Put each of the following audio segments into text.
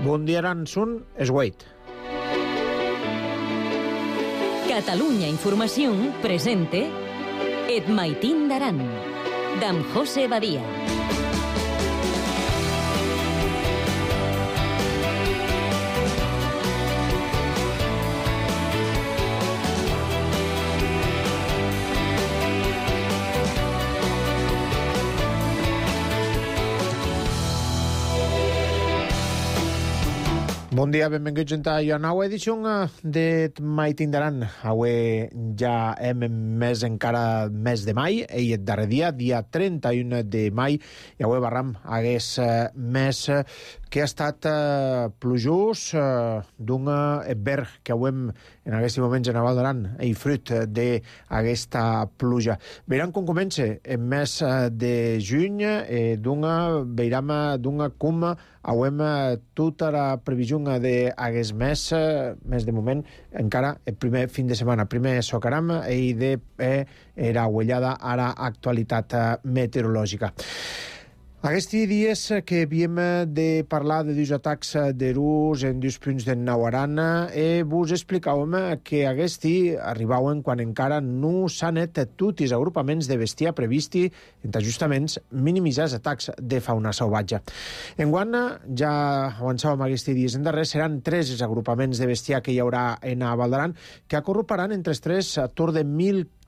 Bundiaran sun esgueit. Catalunya Información presente Et Maitín d'Aran, d'en José Badia. Bon dia, benvinguts a la nova edició de Maitín d'Aran. Avui ja hem més encara mes de mai, i el darrer dia 31 de mai, i avui barram hagués mes que ha estat plujós d'un verd que avui en aquests moments en Val d'Aran i fruit d'aquesta pluja. Veiran com comença el mes de juny, veiram com avui tota la previsió d'aquest mes de moment, encara el primer fin de setmana, primer socaram i de era huellada a l'actualitat meteorològica. Aquests dies que havíem de parlar de dos atacs de rus en dos punts de Nauaran, vos explicàvem que aquest arribaven quan encara no s'han anat tots els agrupaments de bestiar previsti en ajustaments minimitzar els atacs de fauna salvatge. Enguany, ja avançàvem aquests dies en darrer, seran 3 els agrupaments de bestiar que hi haurà en Val d'Aran, que acorroparan entre els 3 a torn de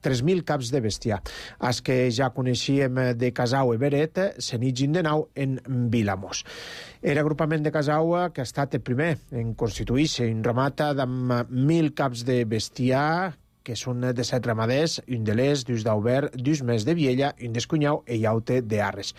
3.000 caps de bestiar. Els que ja coneixíem de Casau i Beret s'enigin de nou en Vilamós. L'agrupament de Casau, que ha estat el primer en constituir-se un ramat amb 1.000 caps de bestiar, que són de 7 ramaders, un de l'Est, dos d'Aubert, dos més de Viella, un d'Escunyau i Iaute d'Arres.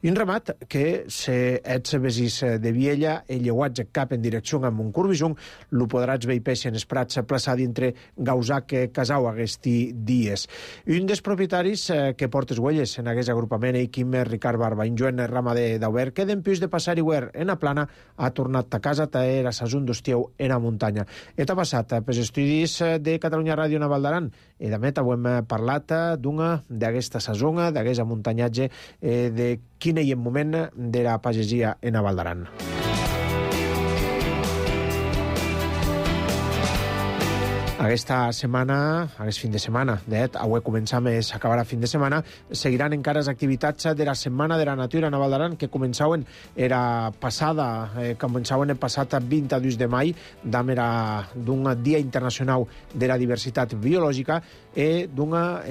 Un ramat que, si ets vesis de Viella, el lleuatge cap en direcció amb un curvisung, lo podràs veure peixen en els prats plaçar dintre Gausac Casau aquests dies. Un dels propietaris que porta huelles en aquest agrupament, Quim Ricard Barba, un joven ramader d'Aubert, que d'empús de passar iguer en la plana, ha tornat a casa a era sasun d'Ostieu en la muntanya. Eta passat pels estudis de Catalunya Ràdio Val d'Aran, i de met avui hem parlat d'aquesta sazona, d'aquest muntanyatge, de quin és el moment de la pagesia en Val d'Aran. Aquesta setmana, aquest fin de setmana, avui començam i s'acabarà fin de setmana, seguiran encara les activitats de la Setmana de la Natura en Val d'Aran, que començaven el passat 22 de mai, d'un Dia Internacional de la Diversitat Biològica, i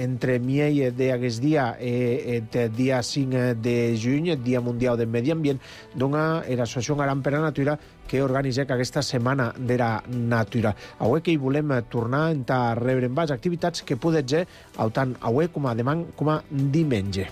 entre miei d'aquest dia i el dia 5 de juny, el Dia Mundial del Medi Ambient, l'Associació Aran per la Natura, que organitza aquesta Setmana de la Natura. Avui que hi volem tornar a rebre en les activitats que poden ser tant avui com a demà com a diumenge.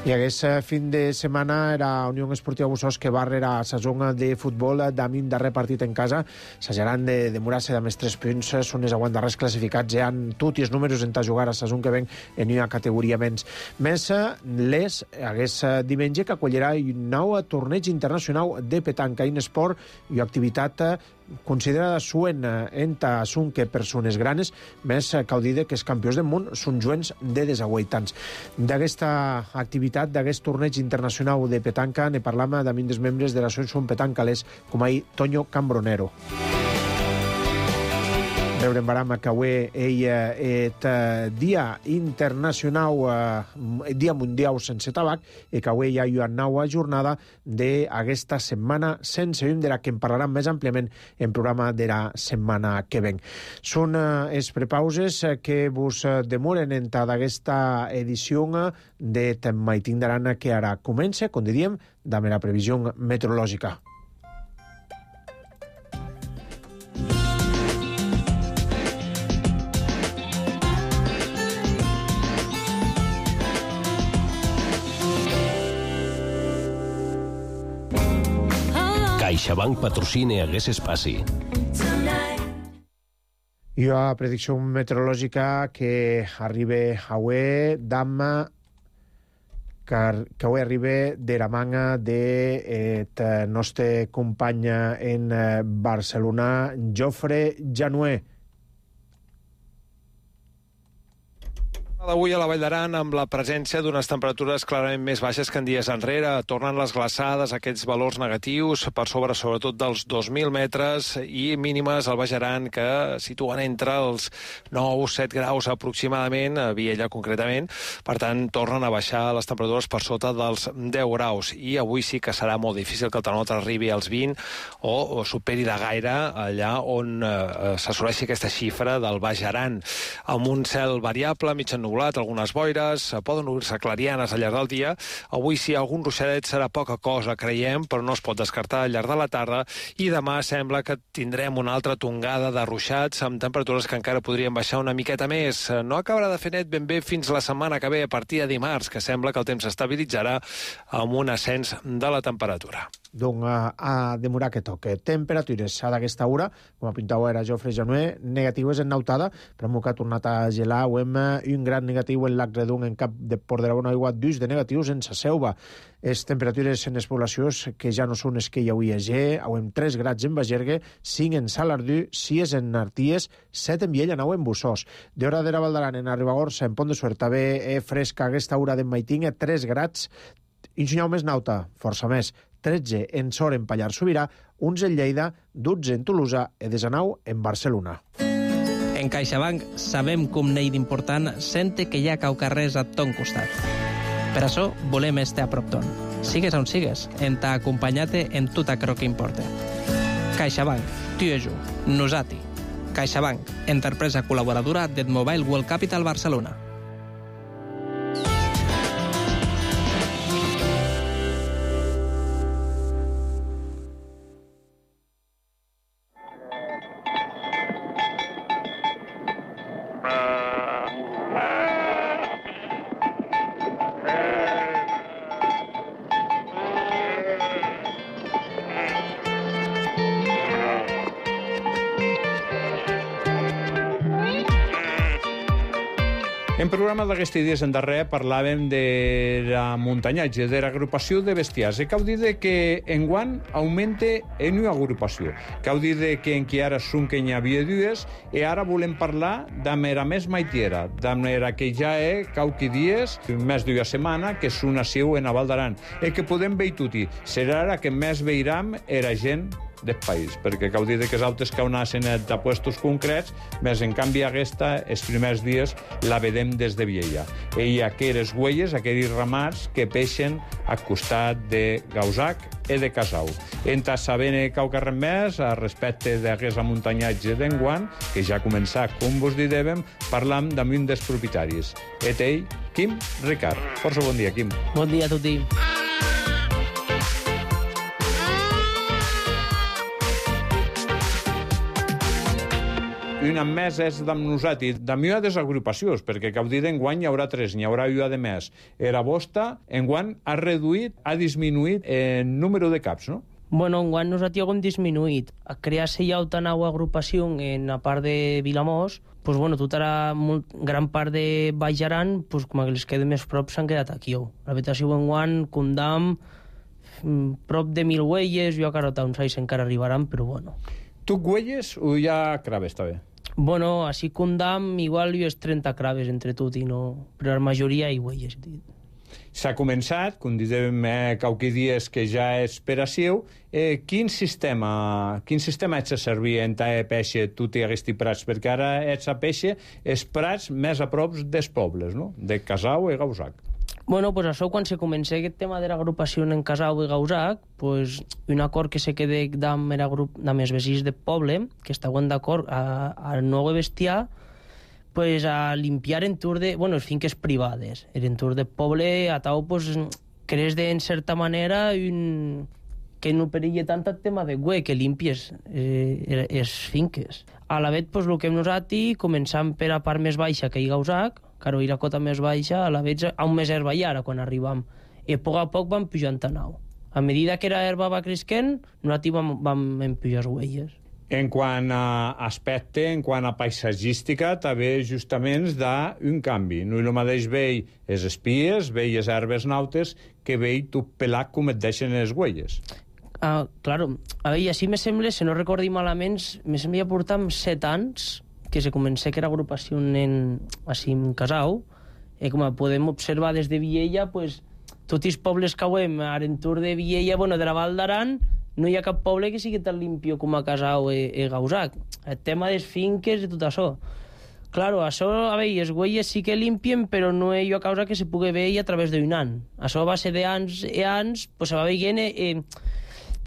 I aquest fin de setmana era Unió Esportiva Bussos que va rere la saison de futbol d'Amin darrer partit en casa. S'hageran de demorar-se de més 3 punts. Són els aguantarrers classificats. Hi ha tots els números en jugar a la saison que ven en una categoria menys. Més aquest diumenge que acollirà un nou torneig internacional de petanca, un esport i activitat considerada suen enta són que persones granes, més cal dir que els campions del món són joves de 18 anys. D'aquesta activitat, d'aquest torneig internacional de petanca, ne parlam d'un dels membres de l'associació petancales, com Toño Cambronero. Veurem baram que avui és Dia Internacional, Dia Mundial sense tabac, i que avui hi ha una nova jornada d'aquesta setmana sense llum, de la que en parlarem més àmpliament en programa de la setmana que ven. Són les prepauses que vos demoren en d'aquesta edició de Maitín d'Aran, que ara comença, com diríem, amb la previsió meteorològica. CaixaBank patrocina aquest espai. I la predicció meteorològica que arriba avui que avui arriba de la manga de nostre company en Barcelona, Jofre Januer. D'avui a la Vall d'Aran, amb la presència d'unes temperatures clarament més baixes que en dies enrere, tornen les glaçades, aquests valors negatius per sobre, sobretot dels 2.000 metres, i mínimes al Baix Aran que situen entre els 9-7 graus aproximadament, a Viella concretament. Per tant, tornen a baixar les temperatures per sota dels 10 graus. I avui sí que serà molt difícil que el termòmetre arribi als 20 o superi de gaire allà on s'assoleixi aquesta xifra del Baix Aran. Amb un cel variable, mig ennubulat, algunes boires, poden obrir-se clarianes al llarg del dia. Avui sí, algun ruixadet serà poca cosa, creiem, però no es pot descartar al llarg de la tarda, i demà sembla que tindrem una altra tongada de ruixats amb temperatures que encara podrien baixar una miqueta més. No acabarà de fer net ben bé fins la setmana que ve, a partir de dimarts, que sembla que el temps s'estabilitzarà amb un ascens de la temperatura. Donc, a demorar que toque. Temperatures a d'aquesta hora, com apuntava era Jofre Janué, negatives en Nautada, però que ha tornat a gelar. Ho hem un gran negatiu en Lac Redung, en cap de Port de la Bona Aigua, dus de negatius en Saseuva. Les temperatures en les poblacions que ja no són les que hi havia G, ho hem 3 grads en Bagergue, 5 en Salardú, 6 en Arties, 7 en Viella, 9 en Bussós. D'hora de la Val d'Aran, en Ribagorça, en Pont de Suert, també fresca aquesta hora d'en Maitinga, 3 grads, i un senyal més Nauta, força més, 13 en Sor, en Pallars Sobirà, 11 en Lleida, 12 en Tolosa i 19 en Barcelona. En CaixaBank sabem que un neix d'important sente que hi ha caucarrers a ton costat. Per això volem estar a prop ton. Sigues on sigues, en t'ha acompanyat en tot aquello que importa. CaixaBank, tu i jo, nosati. CaixaBank, empresa col·laboradora del Mobile World Capital Barcelona. En programa d'aquests dies en darrer parlàvem de la muntanatge, de l'agrupació de bestiars. Cal dir que enguany augmenta en una agrupació. Cal dir que encara són que n'hi havia dues, i ara volem parlar d'amb era més maitiera, d'amb era que ja qualque dies, més d'una setmana, que són assiu en la Val d'Aran, i que podem veure tutti. Serà ara que més veiram era gent del país, perquè cal dir que els altres que anaven a puestos concrets, més en canvi aquesta, els primers dies, la vedem des de Viella. I aquelles huelles, aquells ramats que peixen al costat de Gausac i de Casau. Entra sabent qualque res més respecte d'aquest amuntanyatge d'enguany, que ja ha començat, com vos dèiem, parlam amb un dels propietaris. Et ell, Quim Ricard. Força bon dia, Quim. Bon dia a tutti. Una més és d'amb nosaltres, d'amb una de les agrupacions, perquè cal dir enguany hi haurà 3, n'hi haurà una de més. Era vostra, enguany ha reduït, ha disminuït el número de caps, no? Bueno, enguany nosaltres hem disminuït. A crear-se ja una nova agrupació en la part de Vilamós, pues bueno, tota la gran part de Baix Aran, pues com que les queda més prop, s'han quedat aquí. La vegetació enguany, Condam, prop de 1.000 huelles, jo encara uns anys encara arribaran, però bueno. Tu huelles o ja craves, està bé? Bueno, així Condam, igual jo és 30 craves entre tot i no... Però la majoria hi huelles. S'ha començat, com dèiem qualque dies que ja és per assiu. Quin sistema ets a servir en ta peixe tu i aquests prats? Perquè ara ets a peixe els prats més a prop dels pobles, no? De Casau i Gausac. Bueno, pues això, quan se comença aquest tema de l'agrupació en Casau i Gausac, pues un acord que se queda amb els vecins del poble, que estaven d'acord a no bestiar, pues a limpiar entorn de, bueno, les finques privades. Entorn del poble, a tau, pues, crees de, en certa manera, que no perilla tant el tema de que limpies les finques. A la vegada, pues, el que hem nosaltres, començant per a part més baixa que hi Gausac, claro, i la cota més baixa, a la vegada, a un més herba i ara, quan arribam. I a poc vam pujant a nau. A medida que la herba va cresquent, nosaltres vam empujar les huelles. En quant a aspecte, en quant a paisatgística, també justament d'un canvi. No és el mateix veure les espies, veure les herbes nautes, que veure tot pelat com et deixen les huelles. Claro, a veure, així me sembla, si no recordi malament, me sembla portar 7 anys que se comença que era agrupació així en Casau, com podem observar des de Viella, pues, tots els pobles que veiem a l'entorn de Viella, bueno, de la Val d'Aran, no hi ha cap poble que sigui tan limpio com a Casau i Gausac. El tema dels finques i tot això. Claro, això, a veure, les huelles sí que limpien, però no és a causa que se pugui veure a través d'un any. Això va ser d'anys i anys, pues se va veient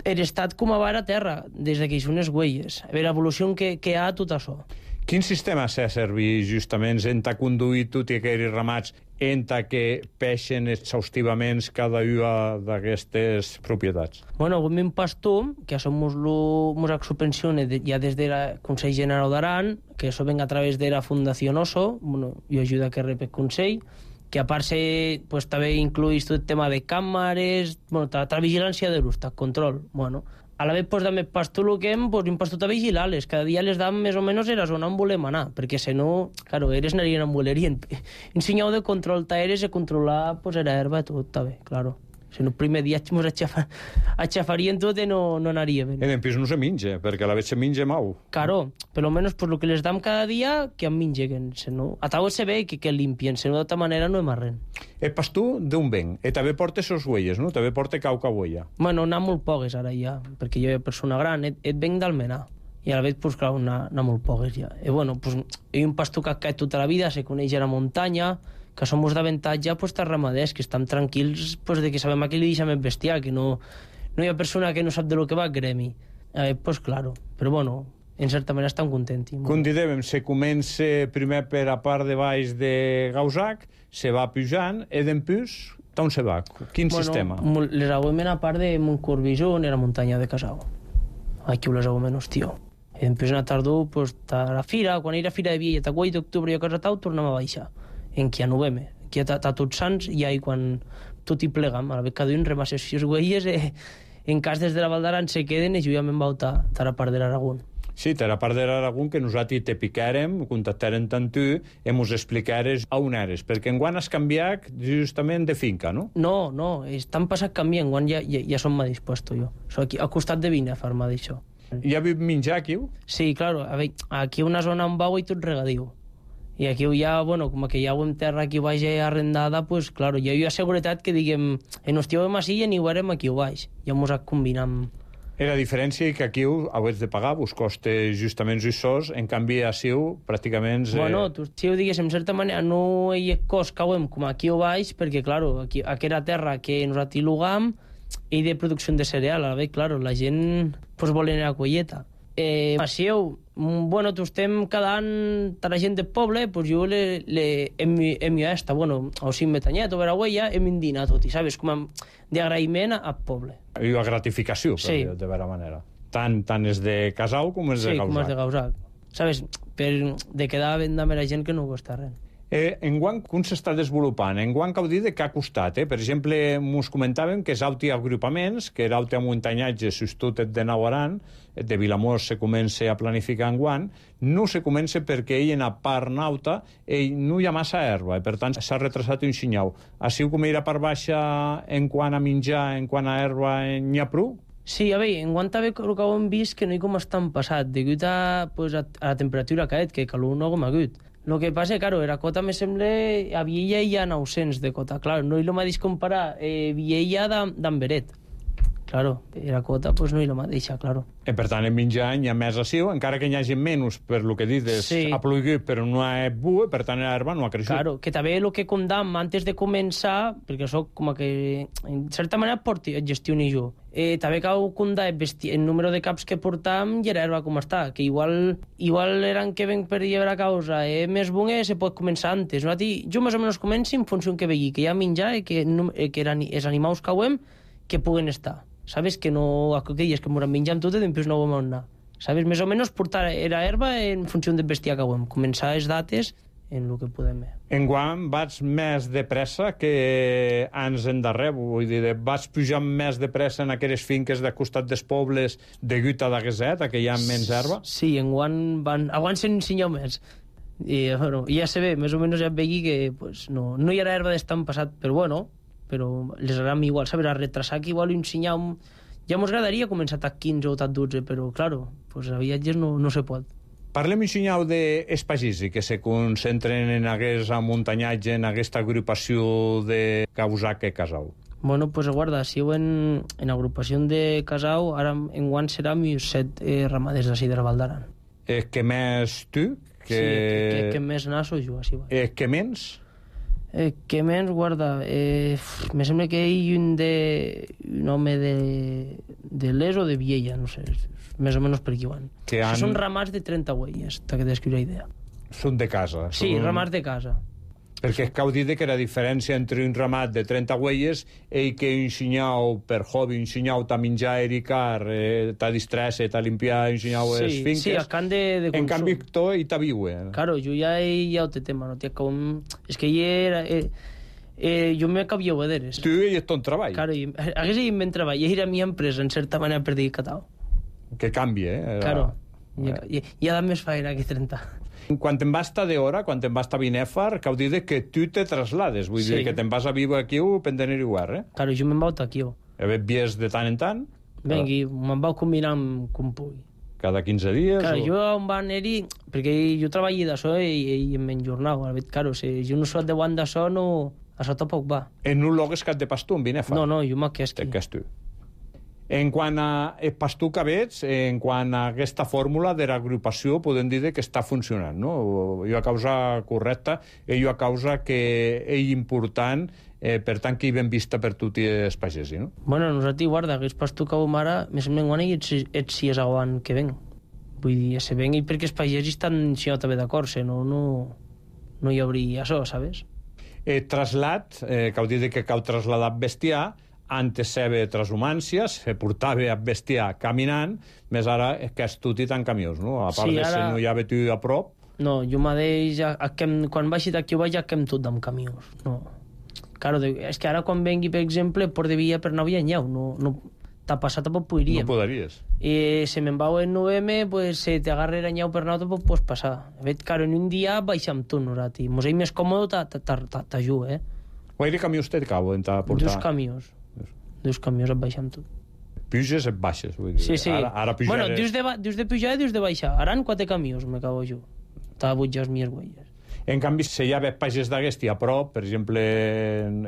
l'estat com va a terra, des que hi són les huelles. A veure, l'evolució que hi ha tot això. Quin sistema s'ha servit justament en ta conduir tot i aquells ramats en ta que peixen exhaustivament cada una d'aquestes propietats? Bueno, avui un pastor, que això mos subvenciona ja des del Consell General d'Aran, que això venga a través de la Fundació Oso, bueno, jo ajuda que rep el Consell, que a part pues, també incluïs tot el tema de càmeres, bueno, la vigilància de l'ús, el control, bueno. A la vez, pues, també pastor el que hem, pues, un pastor a vigilar-les. Cada dia les dam més o menys a la zona on volem anar, perquè si no, claro, eres anarien on volerien. Un senyal de control t'eres i controlar, pues, era herba i tot, també, claro. Si no, el primer dia ens aixafarien tot i no anaria bé. En pis no se menja, perquè a la vez se menja mau. Claro, per lo menos, pues, el que les dam cada dia, que en mengeguen. Si no, a taula se ve que limpien, si no, d'altra manera no hem res. El pastor d'on ven? I també porta ses huelles, no? També porta cauca huella. Bueno, n'ha molt poques ara ja, perquè jo, persona gran, et venc d'Almenar. I a la vez, pues, clar, n'ha molt poques ja. I bueno, pues, hi ha un pastor que ha caet tota la vida, se coneix a la muntanya, que som d'avantatge, pues, els ramaders, que estan tranquils, pues, de que sabem a qui li deixem el bestiar, que no hi ha persona que no sap de lo que va al gremi. Pues, claro, però bueno, en certa manera estan contents. Com dèiem, se comença primer per a part de baix de Gausac, se va pujant, i d'empús, on se va? Quin sistema? Les aguemen a part de Montcorbijó, en la muntanya de Casau. Aquí les aguemen, hòstia. I d'empús en la tardor, pues, a la fira, quan hi ha fira de Viella, a 8 d'octubre i a casa tau, tornem a baixar. En qui a novembre, qui a tots sants, i ahí quan tot hi plegam, a la vez cada un remassa les huelles, en cas des de la Val d'Aran se queden i juguem en a la part de l'Aragón. Sí, a la part de l'Aragón, que nosaltres te picarem, contactarem tant tu, i mos explicares on eres, perquè enguany has canviat justament de finca, no? No, estan passat canviant, enguany ja som més dispuesto jo. Soc aquí, al costat de Vina, farma d'això. Ja viu menjar aquí? Sí, claro, aquí una zona on vau i tot regadiu. I aquí ja, bueno, com que ja ho hem terra aquí baix arrendada, pues, claro, ja hi ha seguretat que diguem, en hòstia així i n'hi veurem aquí baix. Ja mos combinam. La diferència que aquí heu de pagar, vos costa justament els sos, en canvi a Siu pràcticament... Bueno, si ho digués, en certa manera, no hi ha cost que hem com aquí o baix, perquè, claro, aquí era terra que nosaltres lugam i de producció de cereal, a la vegada, claro, la gent pues, vol anar a colleta. A Siu, bueno, tu estem cada any a la gent del poble, pues jo hem esta, bueno, o sigui, Metanyet o Veragüella, hem indinat tot, i sabes, com d'agraïment al poble. I una gratificació, sí. De vera manera. Tant és de Casau com és de Gausac. Sí, com és de Gausac. Sabes, de quedar ben de la gent que no costa res. Enguany, com s'està desenvolupant? Enguany cal dir que ha costat. Per exemple, ens comentàvem que és auti agrupaments, que era auti a muntanyatge, substitut de Nauaran, de Vilamós se comença a planificar enguany, no se comença perquè ell en a part nauta no hi ha massa herba, i per tant s'ha retrasat un xinyau. Així com era part baixa en quant a menjar, en quant a herba, n'hi ha prou? Sí, a veure, en quant a el que hem vist que no hi com estan passat, degut a la temperatura que ha que calor no com ha hagut. El que passa, claro, la cota me sembla a Viella hi ha 900 de cota, claro, no hi lo mateix comparar Viella d'Amberet. Claro, la cota pues no hi lo mateix, claro. Per tant, en menjar hi ha més assiu, encara que n'hi hagi menys, per lo que dius, sí. Ha plogut, però no ha bu, per tant, l'herba no ha creixut. Claro, que també el que condam antes de començar, perquè això com que, en certa manera, gestiono jo. També cal condar el número de caps que portam i l'herba com està, que igual eren que ven per llevar a causa més bones, se pot començar antes. No? Jo més o menys començo en funció que vegi, que hi ha menjar i que els animals que ho hem que puguen estar. Sabes que no, aquelles que moran menjant tot i després no ho vam anar. Sabes, més o menys portar la herba en funció del bestiar que ho hem. Començar les dates en el que podem. Enguany vaig més de pressa que anys endarrer, vull dir, vaig pujar més de pressa en aquelles finques de costat dels pobles de Guta d'Agueset, que hi ha menys herba? Sí, enguany s'ensenyeu més. I bueno, ja se ve, més o menys ja vegi que pues, no hi ha herba d'estan passat, però bueno, però les agram igual, saber, a retrasar que igual ensenyar ja mos agradaria començar a 15 o a 12, però claro, pues a viatges no se pot. Parlem, ensenyau, d'espagisi, que se concentren en aquest amuntanyatge, en aquesta agrupació de Causac i Casau. Bueno, pues guarda, si heu en agrupació de Casau, ara enguany serà 7 ramaders d'ací de la Val d'Aran. Que més tu? Sí, que més naso jo, així va. Que menys? Que menys, guarda, me sembla que hi un home de l'Es o de Viella, no sé, més o menys per aquí van. Són ramats de 30 huelles, que descriu la idea. Són de casa? Sí, ramats de casa. Perquè cau dir que la diferència entre un ramat de 30 huelles i que ensenyau per hobby, ensenyau a menjar ericar, a distreure, a limpiar, ensenyau les finques... Sí, a can de consum. En canvi, tu hi ta viure. Claro, jo ja hi ha un tema, no? És que hi era... jo me cabia vederes. Tu hi ets ton treball. Claro, hagués hi ben treball, i era mi empresa, en certa manera, per dir catau. Que canvia, Claro, hi ha més feina que 30. Quan te'n vas estar d'hora, quan te'n vas estar a Binèfar, cau dir que tu te traslades, vull dir que te'n vas a viure aquí per tenir igual, Claro, jo me'n vau aquí. Vies de tant en tant? Vengui, me'n vau combinar com pugui. Cada 15 dies? Claro, jo on va anar-hi, perquè jo treballo d'això i em enjornau. Claro, si jo no soc de guant d'això, això tampoc va. En un lloc és que et de pastor, en Binèfar? No, jo m'aquesqui. T'aquesto. En quant a pastor que veig, en quant a aquesta fórmula de l'agrupació, podem dir que està funcionant, no? Jo a causa correcta, ell a causa que és important, per tant que hi ben vista per tot els pagesi, no? Bueno, nosaltres, guarda, aquest pastor que vam ara, més o menys, ets si és aguant que ven. Vull dir, se ven perquè els pagesis estan també d'acord, no hi hauria això, sabes? Traslat, cau dir que cal trasladar bestiar, antes seva transhumància, se portava a bestiar caminant, més ara que és tot i tant camions, no? A part de si no hi havia tu a prop... No, jo mateix, quan vaig d'aquí vaig ja quem tot amb camions, no. Claro, és que ara quan vengui, per exemple, Port de Villa per no havia nyau, no t'ha passat tampoc podríem. No podries. I si me'n vau en novembre, pues si t'agarrera nyau per nou tampoc pots passar. Claro, en un dia baixem tot, nosaltres. Mos és més còmode t'ajuda, Quants camions té cau en portar? 2 camions. 2 camions et baixem tot. Puges et baixes, vull dir. Sí. Ara pujaré... Bueno, dius de pujar i dius de baixar. Ara en 4 camions me cago jo. T'ha butjar les mies huelles. En canvi, si hi ha pagès d'aquesti a prop, per exemple,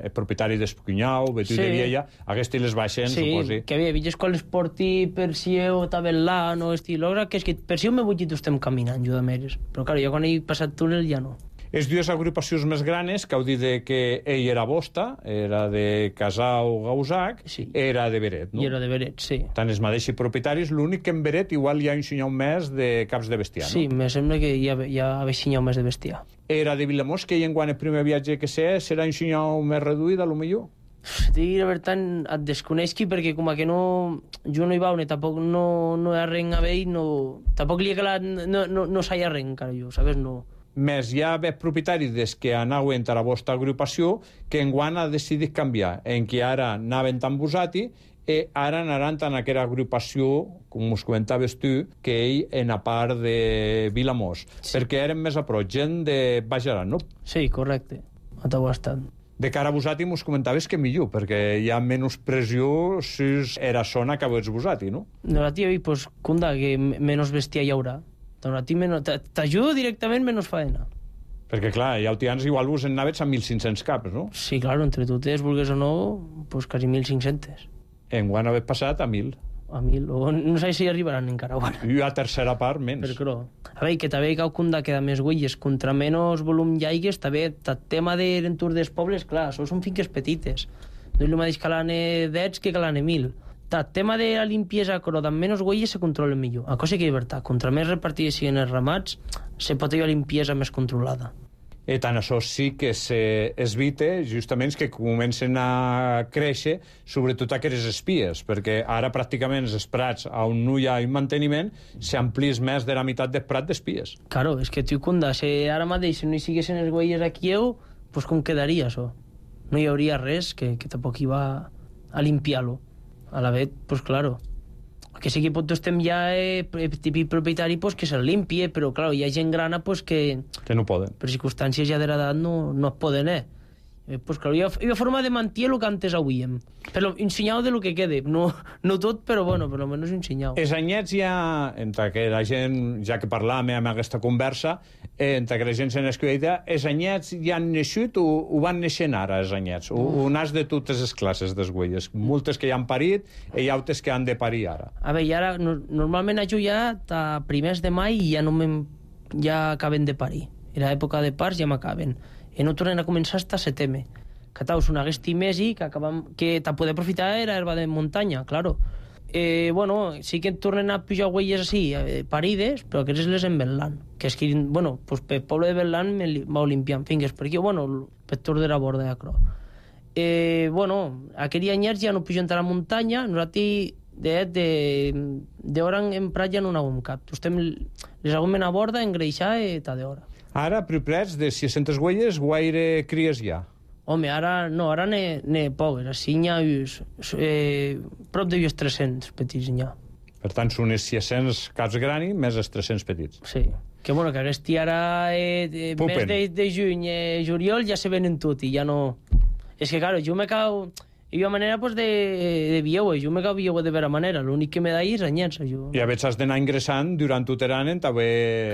el propietari d'Espunyau, Betu de Viella, aquests les baixen, suposi. Sí, que bé, veies quan les porti per si heu tavel·lant o estilora, que és que per si heu me butxit estem caminant, jo de meres. Però, clar, jo quan he passat túnel ja no. Les dues agrupacions més granes, que heu dit que ell era Bosta, era de Casau Gausac, era de Beret, no? I era de Beret, sí. Tant els mateixos propietaris, l'únic que en Beret igual hi ha un senyal més de caps de bestiar, no? Sí, me sembla que hi ha senyal més de bestiar. Era de Vilamós, que en quan el primer viatge que sé, serà un senyal més reduït, a lo millor? Digui la veritat, et desconeixi perquè com que jo no hi vau ni tampoc no hi ha res a veure, tampoc li he calat, no s'hi ha res encara jo, sabes, no. Més hi ha propietaris des que anaven a la vostra agrupació que enguany ha decidit canviar, en què ara anaven tan Busati i ara anaran tan a aquella agrupació, com us comentaves tu, que ell en a part de Vilamós, perquè eren més a prop, gent de Baix Aran, no? Sí, correcte, a tot estat. De cara a Busati mos comentaves que millor, perquè hi ha menys pressió si era zona que veus Busati, no? No, la tia, pues, cunda, que menys bestiar hi haurà. T'ajudo directament menys faena. Perquè, clar, hi ha tians igual vos en naves amb 1.500 caps, no? Sí, claro, entre totes, vulgues o no, pues quasi 1.500. Enguany haver passat a 1.000. A 1.000, o no sé si arribaran encara. I a tercera part, menys. Però, a veure, que també cau cunda queda més huelles, contra menys volum llaigues, també, el tema de l'entorn dels pobles, clar, això són finques petites. No és el mateix que l'ane 10 que l'ane 1.000. El tema de la limpiesa, però amb menys huelles se controla millor. A cosa que és veritat, contra més repartides siguin els ramats, se pot tenir la limpiesa més controlada. I tant això sí que s'evita justament que comencen a créixer sobretot aquestes espies, perquè ara pràcticament els prats on no hi ha un manteniment s'amplís més de la meitat del prat d'espies. Claro, és que tu conda, si ara mateix no hi siguessin els huelles aquí, pues com quedaria això? No hi hauria res que tampoc hi va a limpiar-lo. A la vez, pues claro, que sí que pot estem ja típic propietari pues, que se'l limpie, però claro, hi ha gent grana pues, que no poden. Per circumstàncies ja de l'edat no es poden, Pues claro, hi ha forma de mentir el que antes hauríem. Però ensenyau de lo que quede. No tot, però bueno, per lo menos ensenyau. Els anyets ja, entre que la gent, ja que parlàvem amb aquesta conversa, entre que la gent se n'escriu, els anyets ja han naixut o van naixent ara, els anyets? O nas de totes les classes des güelles? Moltes que ja han parit i altres que han de parir ara. A veure, ara, normalment jo ja a primers de mai ja acaben de parir. En l'època de parts ja m'acaben. I no tornen a començar hasta setembre. Que taus un aguesti mesi que ta poder aprofitar era herba de muntanya, claro. Bueno, sí que tornen a pujar huelles així, parides, però aquestes les en Bellan. Que és que, bueno, pues pel poble de Bellan me va limpiant fingues, perquè, bueno, per tot de la borda de Acro. Bueno, aquells anyers ja no pugen a la muntanya, nosaltres d'hora en prat ja no n'haguem cap. Estem les haguem a borda, engreixar i ta d'hora. Ara, priplets, de 600 huelles, guaire cries ja? Home, ara n'he poques. Així n'hi ha prop de 300 petits n'hi ha. Per tant, són els 600 caps grani més els 300 petits. Sí. Que bueno, que aquest ara mes de juny, juliol, ja se venen tot i ja no... És que, claro, jo me cau... Hi ha manera pues, de vieue, jo me cau vieue de vera manera, l'únic que me da és anyats. I a veces has d'anar ingressant durant tot l'any en tabuer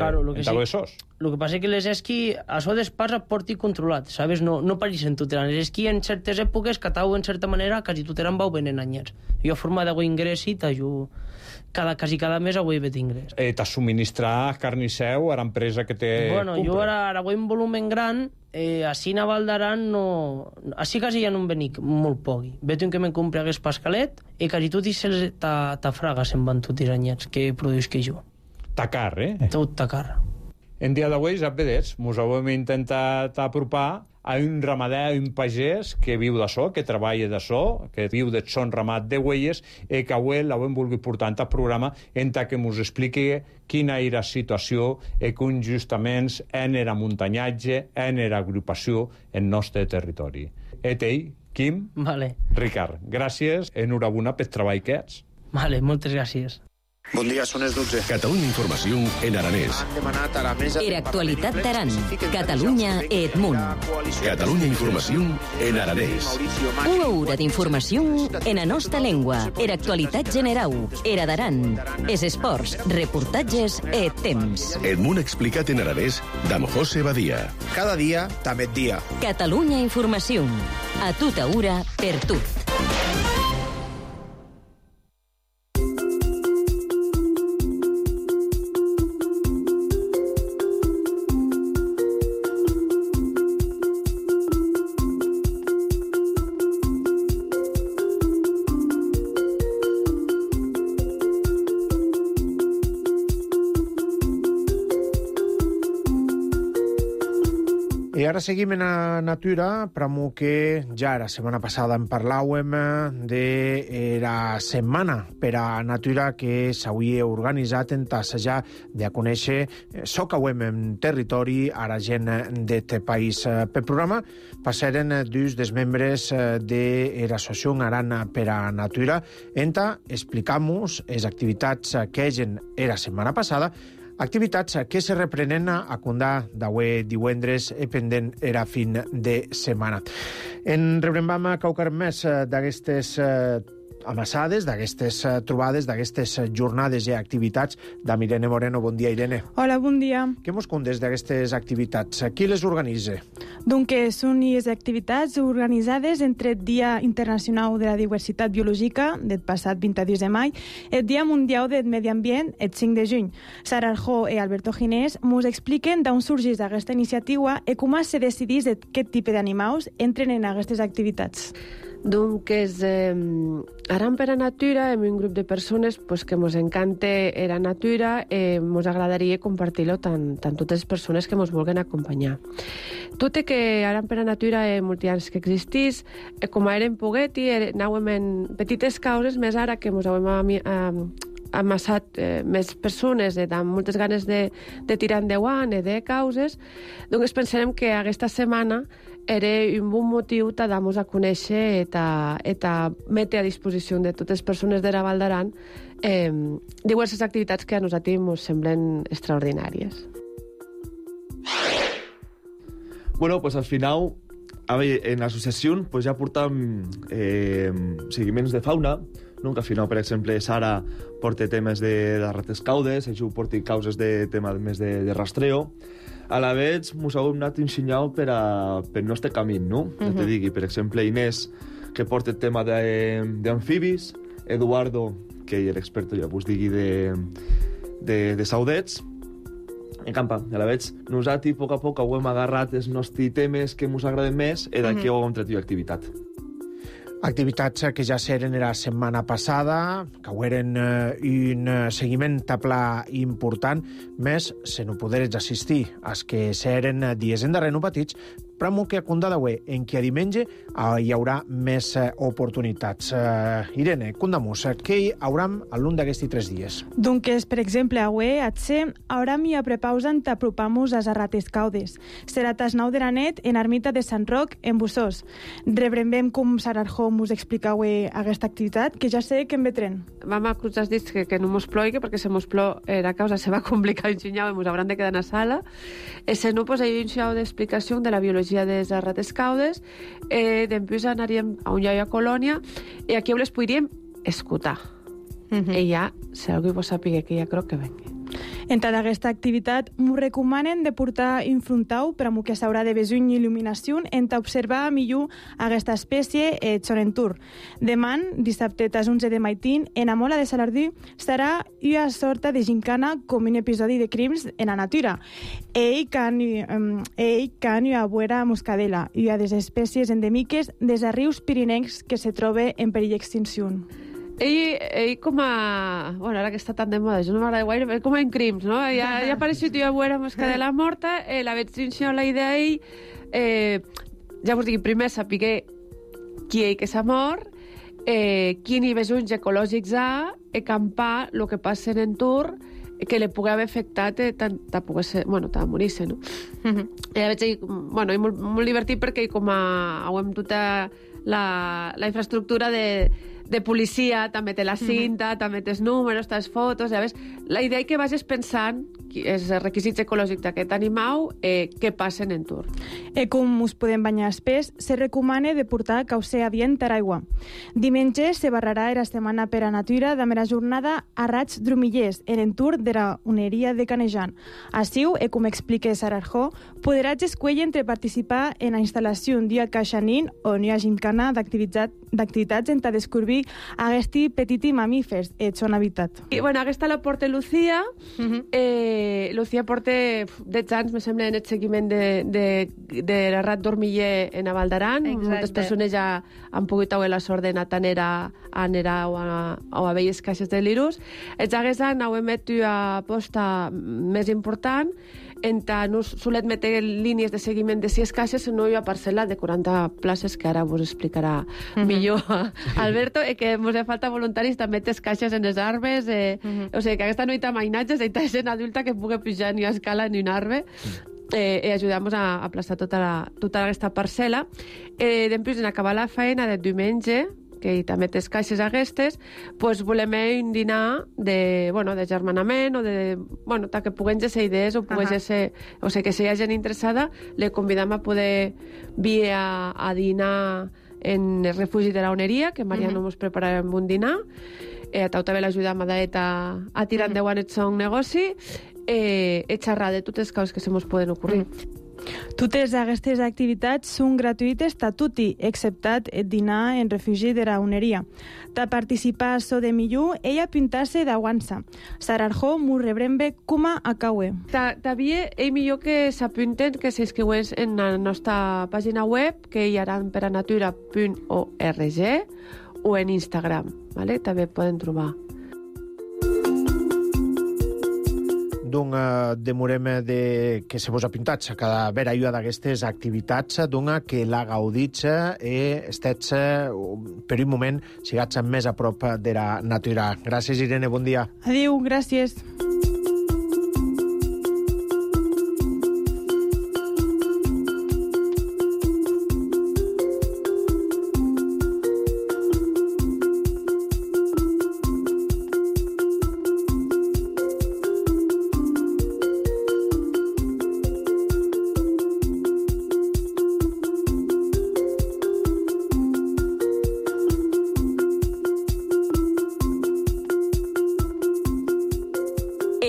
sos. El que passa és que les esquí, això d'espars a porti controlat, sabes? No pareixen tot l'any. Les esquí en certes èpoques, catau en certa manera, quasi tot l'any vau venent anyats. Jo a forma d'agua ingressi, t'ajudo... Quasi cada mes avui vet ingrés. T'has subministrat carnisseu a l'empresa que té... Bueno, jo ara vull un volumen gran, així a Val d'Aran no... Així quasi ja no em venic molt pogui. Veig que me'n compre hagués pascalet i quasi tot i ta fraga se'n van tots els anyats que produïs que jo. Ta car, Tot ta car. En dia d'avui, ja vedets, mos hem intentat apropar a un ramader, un pagès que viu d'açò, que treballa d'açò, que viu de son ramat de huelles, i que avui l'hem volgut portar al programa en que mos expliqui quina era la situació i que justament en era muntanyatge, en era agrupació en nostre territori. Ell, Quim, vale. Ricard, gràcies, enhorabona pel treball que ets. Vale, moltes gràcies. Bon dia, són les 12. Catalunya Informació en aranès. Han demanat a la mesa... Era actualitat d'Aran, Catalunya e Edmunt. Catalunya Informació en aranès. Una hora d'informació en la nostra llengua. Era actualitat general, era d'Aran. Es esports, reportatges e temps. Edmunt explicat en aranès d'Am José Badia. Cada dia, també et dia. Catalunya Informació. A tota hora, per tu. I ara seguim en la natura, pramo que ja la setmana passada en parlàvem de la setmana per a natura que s'havia organitzat en tassejar de conèixer so que ho hem en territori a la gent d'aquest país. Per programa passaren dos dels membres de l'Associació Aran per a Natura en explicar-nos les activitats que egen la setmana passada, activitats que se reprenen a condar d'avui divendres pendent era fin de setmana. En rebrem qualque més d'aquestes amassades, d'aquestes trobades, d'aquestes jornades i activitats d'amb Irene Moreno. Bon dia, Irene. Hola, bon dia. Què mos contes d'aquestes activitats? Qui les organitza? Doncs són les activitats organitzades entre el Dia Internacional de la Diversitat Biològica, del passat 22 de maig, el Dia Mundial del Medi Ambient, el 5 de juny. Sara Arjó i Alberto Ginés mos expliquen d'on sorgeix aquesta iniciativa i com se decidís aquest tipus d'animals entren en aquestes activitats. Donc, Aran per a Natura hem un grup de persones que mos encanta la natura i mos agradaria compartir-lo tant totes les persones que mos vulguen acompanyar. Tot i que Aran per a Natura molts anys que existís, com érem pogueti, anàvem en petites causes, més ara que mos hem amassat més persones amb moltes ganes de tirar endavant i de causes, doncs pensarem que aquesta setmana era un bon motiu de dar-nos a conèixer i metre a disposició de totes les persones de la Val d'Aran diverses activitats que a nosaltres ens semblen extraordinàries. Bueno, pues al final en l'associació pues, ja portam seguiments de fauna, no? Que al final, per exemple, Sara porta temes de rates caudes, jo porti causes de tema més de rastreo. A la vegada, mos heu anat ensenyant per el nostre camí, no? Ja te digui, per exemple, Inés, que porta el tema d'amfibis, Eduardo, que és l'expert, ja vos digui, de saudets, en campa. A la vegada, nosaltres, a poc ho hem agarrat els nostres temes que ens agraden més i d'aquí ho hem tret activitat. Activitats que ja seren la setmana passada, que eren un seguiment a pla important, més se no poderes assistir als que seren dies endarrere no petits, però que a Condadauer, en què a diumenge hi haurà més oportunitats. Irene, condamus, què hi haurà a l'un d'aquests 3 dies? Doncs, per exemple, avui, hauram i a prepausen t'apropamos a Rates Caudes. Serà tas 9 de la nit en Ermita de Sant Roc, en Bussós. Rebrembem com Sararjó us explica avui aquesta activitat, que ja sé que en vetren. Vam a cruzar els dits que no mos ploigui, perquè se mos plou la causa se va complicar un xinyau i mos hauran de quedar a la sala. Se no, pues, hi ha un xinyau d'explicació de la biologia de les rates caudes, després anaríem a un lloc a Colònia i aquí les podríem escoltar. I ja, si algú vos sàpiga que ja crec que vengui. En tota aquesta activitat, m'ho recomanen de portar infrontau per a que s'haurà de besuny il·luminació en observar millor aquesta espècie Chonentur. Demà, dissabte, tas 11 de maitín, en Amola de Salardí, serà una sorta de gincana com un episodi de crims en la natura. Ell can a veure moscadela i a les espècies endèmiques des de rius pirinencs que se troba en perill d'extinció. Ell com a... Bueno, ara que està tan de moda, jo no m'agrada gaire, com en crims, no? Ja ha apareixut jo a veure moscadela morta, la veig trinxar la idea ell, ja vos dic, primer sapiguer qui ell que s'ha mort, quin hi veig uns ecològics ha, acampar el que passa en entorn, que li pugui haver afectat tant a morir-se, no? Ja veig ell, bueno, molt divertit perquè com hem tota la infraestructura de policia, també té la cinta, també té els números, té les fotos, ja ves? La idea és que vagis pensant els requisits ecològics d'aquest animal, què passa en entorn. Com us podem banyar espès, se recomana de portar caucer adient a l'aigua. Diumenge se barrarà la setmana per a natura de la jornada a raig drumillers en entorn de la uneria de Canejan. Així, com explica Sararjó, podràs escollir entre participar en la instal·lació d'un dia caixanín o una gincana d'activitats en descobrir aquests petits mamífers en son habitat. I, bueno, aquesta la porta Lucía. Lucía porta 10 anys, me sembla, en el seguiment de la rat dormiller en a Val d'Aran. Moltes persones ja han pogut tenir la sort d'anar tant a Nerà o a velles caixes de l'Irus. Els hagués anys heu emet una aposta més important en tant no solet metre línies de seguiment de 6 caixes, sinó una parcel·la de 40 places, que ara vos explicarà millor Alberto, i que mos ha falta voluntaris també tes caixes en els arbres, o sigui, que aquesta no hi ha mainatges, hi ha gent adulta que pugui pujar ni a escala ni un arbre, i ajudar-nos a aplastar tota aquesta parcel·la. Després, en acabar la feina de diumenge, que també té caixes aquestes, doncs volem un dinar de germanament o que puguem ser idees o ser, o sigui, que si hi ha gent interessada, le convidam a poder vir a dinar en el refugi de la Oneria, que Mariano ens prepararem un dinar. A Tau també l'ajudam a tirar endavant el seu negoci, xerrar de totes les coses que se mos poden ocorrir. Totes aquestes activitats són gratuïtes a tutti, exceptat el dinar en refugi de la Uneria. Ta participar a so de millor, ella pintar-se d'aguança. Sararjó m'ho rebrem bé com a caue. També és millor que s'apunten, que s'inscriuen en la nostra pàgina web, que hi haran per a natura.org, o en Instagram, ¿vale? També poden trobar. Donc, demorem que se vos apintats a cada vera una d'aquestes activitats, donc que la gaudits estets per un moment sigats més a prop de la natura. Gràcies, Irene, bon dia. Adéu, gràcies.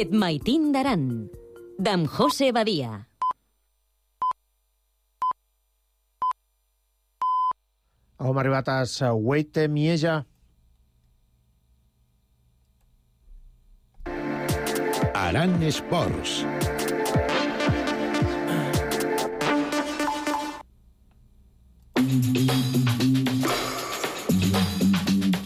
Et maitin d'Aran, d'en José Badia. Hem arribat a Sauete Mieja. Aran Esports.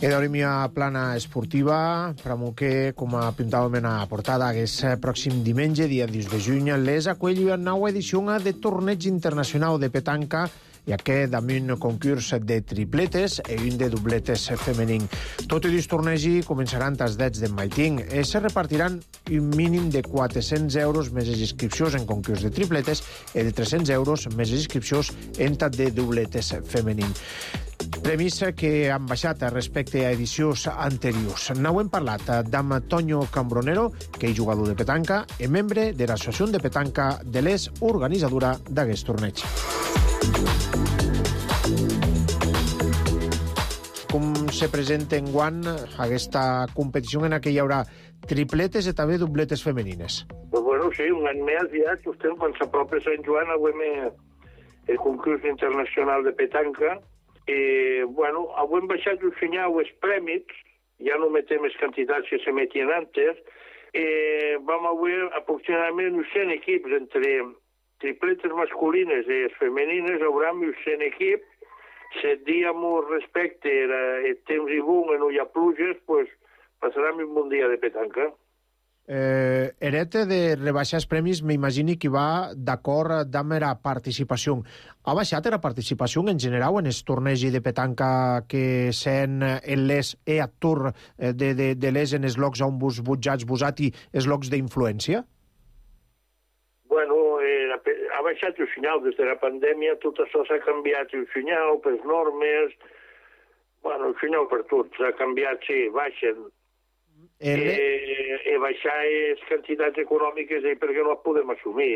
Edorimia plana esportiva, pramo que, com apuntàvem en la portada, aquest pròxim diumenge, dia 10 de juny, les acull una nova edició de torneig internacional de petanca, i aquest amb un concurs de tripletes i un de dobletes femení. Tot i tornegi començaran els dets de Maiting i se repartiran un mínim de 400 euros més les inscripcions en concurs de tripletes i de 300 euros més les inscripcions en tat de dobletes femení. Premis que han baixat respecte a edicions anteriors. N'hem parlat amb Toño Cambronero, que és jugador de petanca i membre de l'Associació de Petanca de l'ES, organitzadora d'aquest torneig. Com se presenta enguany aquesta competició en què hi haurà tripletes i també dobletes femenines? Pues bueno, sí, un any més ja, justem, quan s'apropa Sant Joan, avui el concurs internacional de petanca. Bueno, avui hem baixat un senyal els prèmits, ja no metem les quantitats que se metien antes. Vam avui aproximadament 100 equips entre tripletes masculines i femenines, haurà 100 equips. Si diem respecte el temps i boom i no hi ha pluges, pues passarem un bon dia de petanca. Herete de rebaixar els premis, m'imagini que va d'acord amb la participació. Ha baixat la participació en general en el torneig de petanca que sent en les actor de les en els llocs on vos butjats vosati els llocs d'influència? Bueno, ha baixat el senyal des de la pandèmia, tot això s'ha canviat el senyal per normes, bueno, el senyal per tot s'ha canviat, sí, baixen. Baixar les quantitats econòmiques perquè no les podem assumir.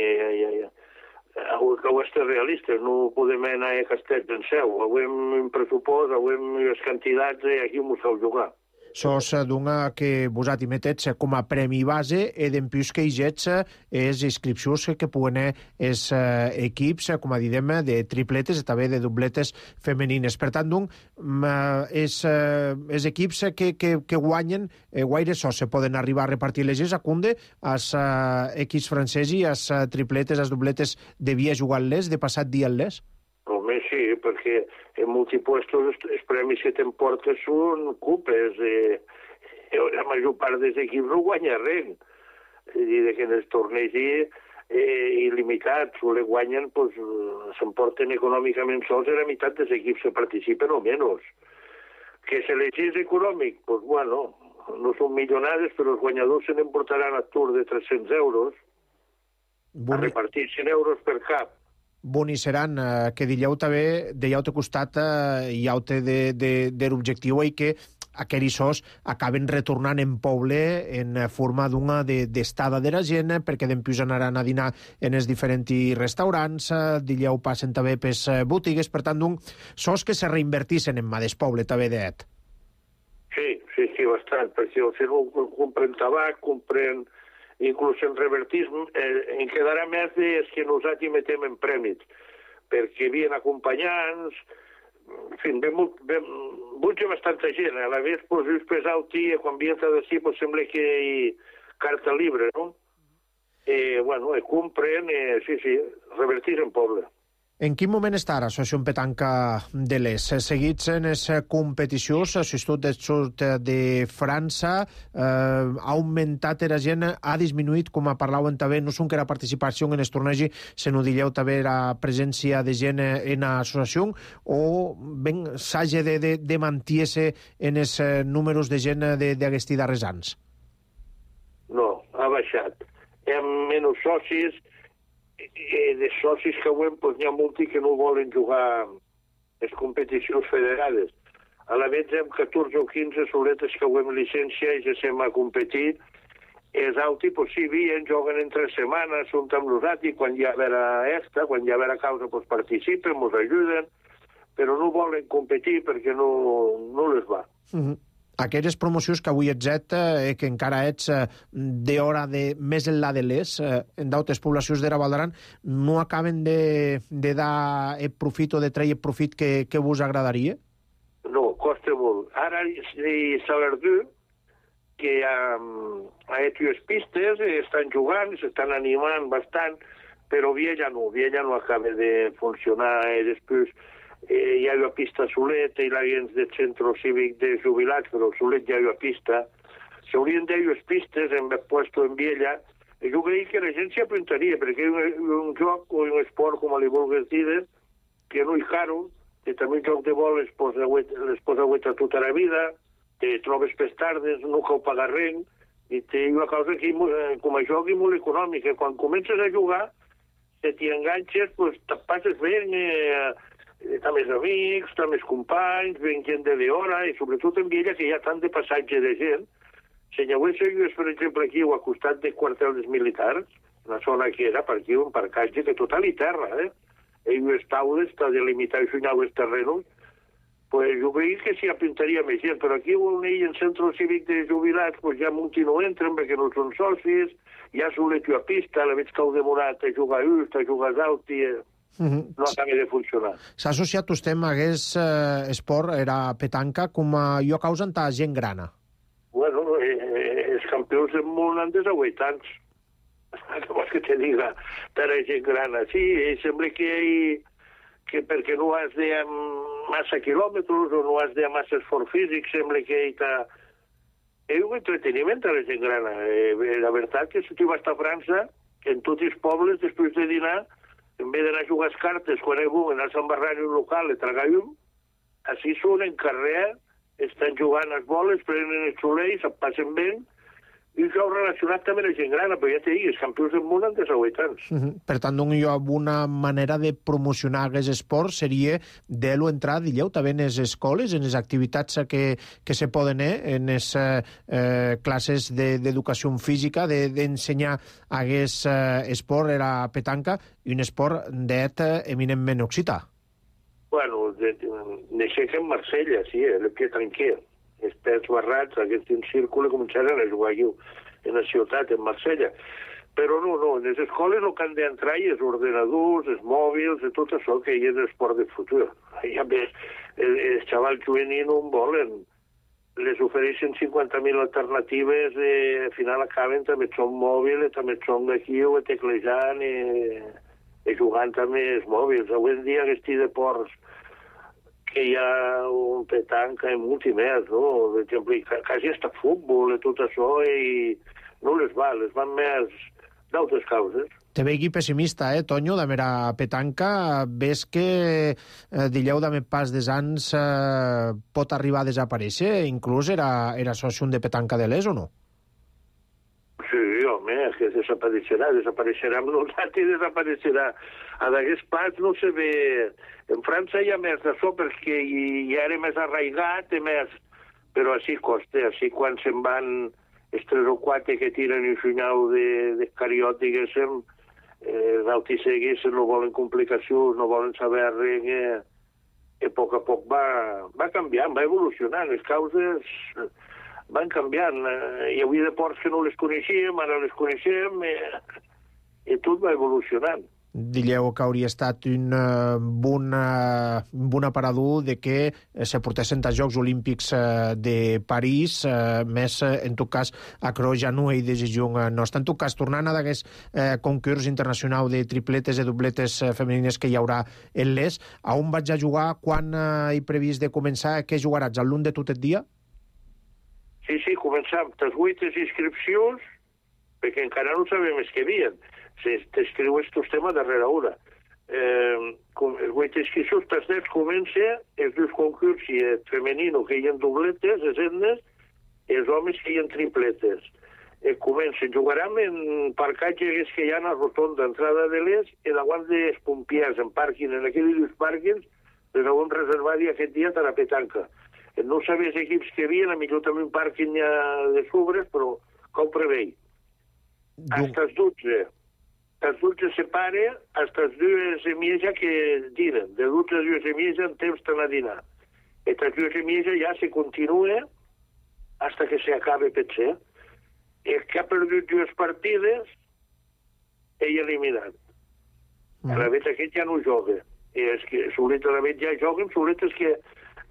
Que ho estem realistes, no podem anar a Castells en seu. Avui hem un pressupost, avui hem les quantitats i aquí m'ho sabeu jugar. Sos d'una que vosati metets com a premi base i d'empius que hi jets és inscripcions que puguen els equips, com a didem, de tripletes i també de dobletes femenines. Per tant, els equips que guanyen guaire sos se poden arribar a repartir les acunde als equips francesos i als tripletes, als dobletes devia jugar-les, de passat dia-les? Home, sí, perquè en multipuestos els premis que t'emportes són cupes. La major part dels equips no guanya res. És a dir, que en els torneigs il·limitats o le guanyen, s'emporten econòmicament sols la meitat dels equips que participen o menys. Que s'elegís econòmic? Doncs, bueno, no són milionades, però els guanyadors se n'emportaran a tour de 300 euros, a repartir 100 euros per cap. Boni seran, que dilleu també, dèieu costat i haute de l'objectiu i que aquells sos acaben retornant en poble en forma d'una d'estada de la gent, perquè d'empius anaran a dinar en els diferents restaurants, dilleu passen també per botigues, per tant, sos que se reinvertissin en mà del poble també d'et. Sí, bastant, perquè al final compren tabac, compren... Inclús en revertisme, en quedarà més des que nosaltres metem en prèmits, perquè havien acompanyants, en fi, butja bastanta gent, a la vegada, just pesar-ho, quan havien de dir, sembla que hi carta libre, no? Bueno, compren, sí, revertir en poble. En quin moment està l'Associació Petanca de l'ES? Seguits en les competicions, l'Institut del Sud de França ha augmentat la gent, ha disminuït, com parlaven també, no són que la participació en el torneig, se no dilleu també la presència de gent en l'associació, o s'hagi de mantenir-se en els números de gent d'aquests darrers anys? No, ha baixat. Hi ha menys socis, de socis que avui n'hi ha molts que no volen jugar les competicions federades. A la vegada hi ha 14 o 15 soletes que avui amb llicència i ja sem a competir. Els altres, sí, juguen en 3 setmanes, són amb nosaltres, quan hi ha quan hi ha causa, participen, ens ajuden, però no volen competir perquè no les va. Aquelles promocions que avui ets que encara ets d'hora més enllà de les, en d'altres poblacions d'Era Val d'Aran, no acaben de dar el profit o de treure el profit que vos agradaria? No, costa molt. Ara s'ha verdut que a les pistes estan jugant, s'estan animant bastant, però Viella no acaba de funcionar. Després hi ha una pista a Solet, i la gent del centre cívic de jubilats, però a Solet hi ha una pista. S'haurien de les pistes en puesto en Viella. Jo crec que la gent s'hi apuntaria, perquè és un joc o un esport, com li vulguis dir, que no és caro, que també un joc de vol les posa gueta tota la vida, te trobes per tardes, no cal pagar res, i té una cosa que com a joc és molt econòmica. Quan comences a jugar, si t'hi enganxes, pues, te passes bé, t'ha més amics, t'ha més companys, ven gent de l'hora, i sobretot en Viella, que hi ha tant de passatge de gent. Si hi hagués seguit, per exemple, aquí, al costat del quartel dels militars, la zona que era, per aquí, un parcatge que total i terra, i les taules, està delimitat i sonar els terrenos, pues jo crec que s'hi apuntaria més gent, però aquí on hi ha en centre cívic de jubilats, pues ja molti no entren perquè no són socis, ja Solet a pista, la veig que heu demorat a jugar just, a jugar alt, i no acaba de funcionar. S'ha associat vostè amb aquest esport, era petanca, com a lloc causa en ta gent grana? Bueno, els campions del món han de 8 anys. Què vols que te diga? Per a gent grana. Sí, sembla que perquè no has de massa quilòmetres o no has de massa esforç físic, sembla que hi ha un entreteniment a la gent grana. La veritat que si tu vas a França, en tots els pobles, després de dinar, en vez d'anar a jugar les cartes, quan hi vulguen anar a embarrar en un local i tragar llum, així són en carrer, estan jugant les boles, prenen els soleils, se'n passen bé, i això ho relacionat també amb la gent grana, però ja t'he dit, els campions del món han de 8 anys. Per tant, una manera de promocionar aquest esport seria de-lo entrar, digueu, també en les escoles, en les activitats que se poden en les classes d'educació física, d'ensenyar aquest esport, era petanca, i un esport d'et eminentment occità. Bueno, d'aixeca en Marsella, sí, el que tranquil. Els pets barrats, aquests en círculo, començaran a jugar aquí en la ciutat, en Marsella. Però no, en les escoles el que han d'entrar hi els ordenadors, els mòbils, i tot això que hi és l'esport del futur. Ja ves, els xavals juvenils no en volen. Les ofereixen 50.000 alternatives i al final acaben també són mòbils, també són d'aquí o teclejant i jugant també els mòbils. Avui en dia aquests deports que hi ha un petanca i molt més, no? Per exemple, quasi està futbol i tot això, i no les van més d'altres causes. Te vegi pessimista, Tonyo, de mera petanca. Ves que, dilleu, de pas des anys pot arribar a desaparèixer? Inclús era soci de petanca de l'ES, o no? Sí, home, que desapareixerà amb nosaltres i desapareixerà. A d'aquest pas no se ve... En França hi ha més d'això perquè hi era més arraigat, però així costa, així quan se'n van els 3 o 4 que tiren un senyal de cariot, diguéssim, els altisseguis no volen complicacions, no volen saber res, i a poc va canviant, va evolucionant, les causes van canviant. Hi havia deports que no les coneixíem, ara les coneixem, i tot va evolucionant. Dilleu que hauria estat un bon aparador de que se portessin als Jocs Olímpics de París, més, en tot cas, a Creu ja no hi decisió nostra. En tot cas, tornant a d'aquest concurs internacional de tripletes i dobletes femenines que hi haurà en l'ES, a on vaig a jugar, quan hi previst de començar, què jugaràs, al de tot el dia? Sí, començam les 8 inscripcions, perquè encara no sabem els que havien. T'escriu aquest tema darrere hora. Els 8 inscripcions, les 10 comença els 2 concurs femenino que hi ha dobletes, les etnes, i els homes que hi ha tripletes. Comencen, jugarem en parcatges que hi ha a la rotonda d'entrada de l'ES i davant dels pompiers en pàrquing, en aquells 2 pàrquings, les haurem reservat aquest dia per a petanca. No sabia els equips que havien, a millor també un pàrquing de sobres, però com prevei. Hasta els 12. Els 12 se pare, hasta els 2 semieja que diren. De 12 a 2 semieja en temps d'anar a dinar. I les 2 semieja ja se continua hasta que se acabe potser. El que ha perdut 2 partides, ell eliminat. A la vez aquest ja no joga. És que solet a la vez ja joguen, solet és que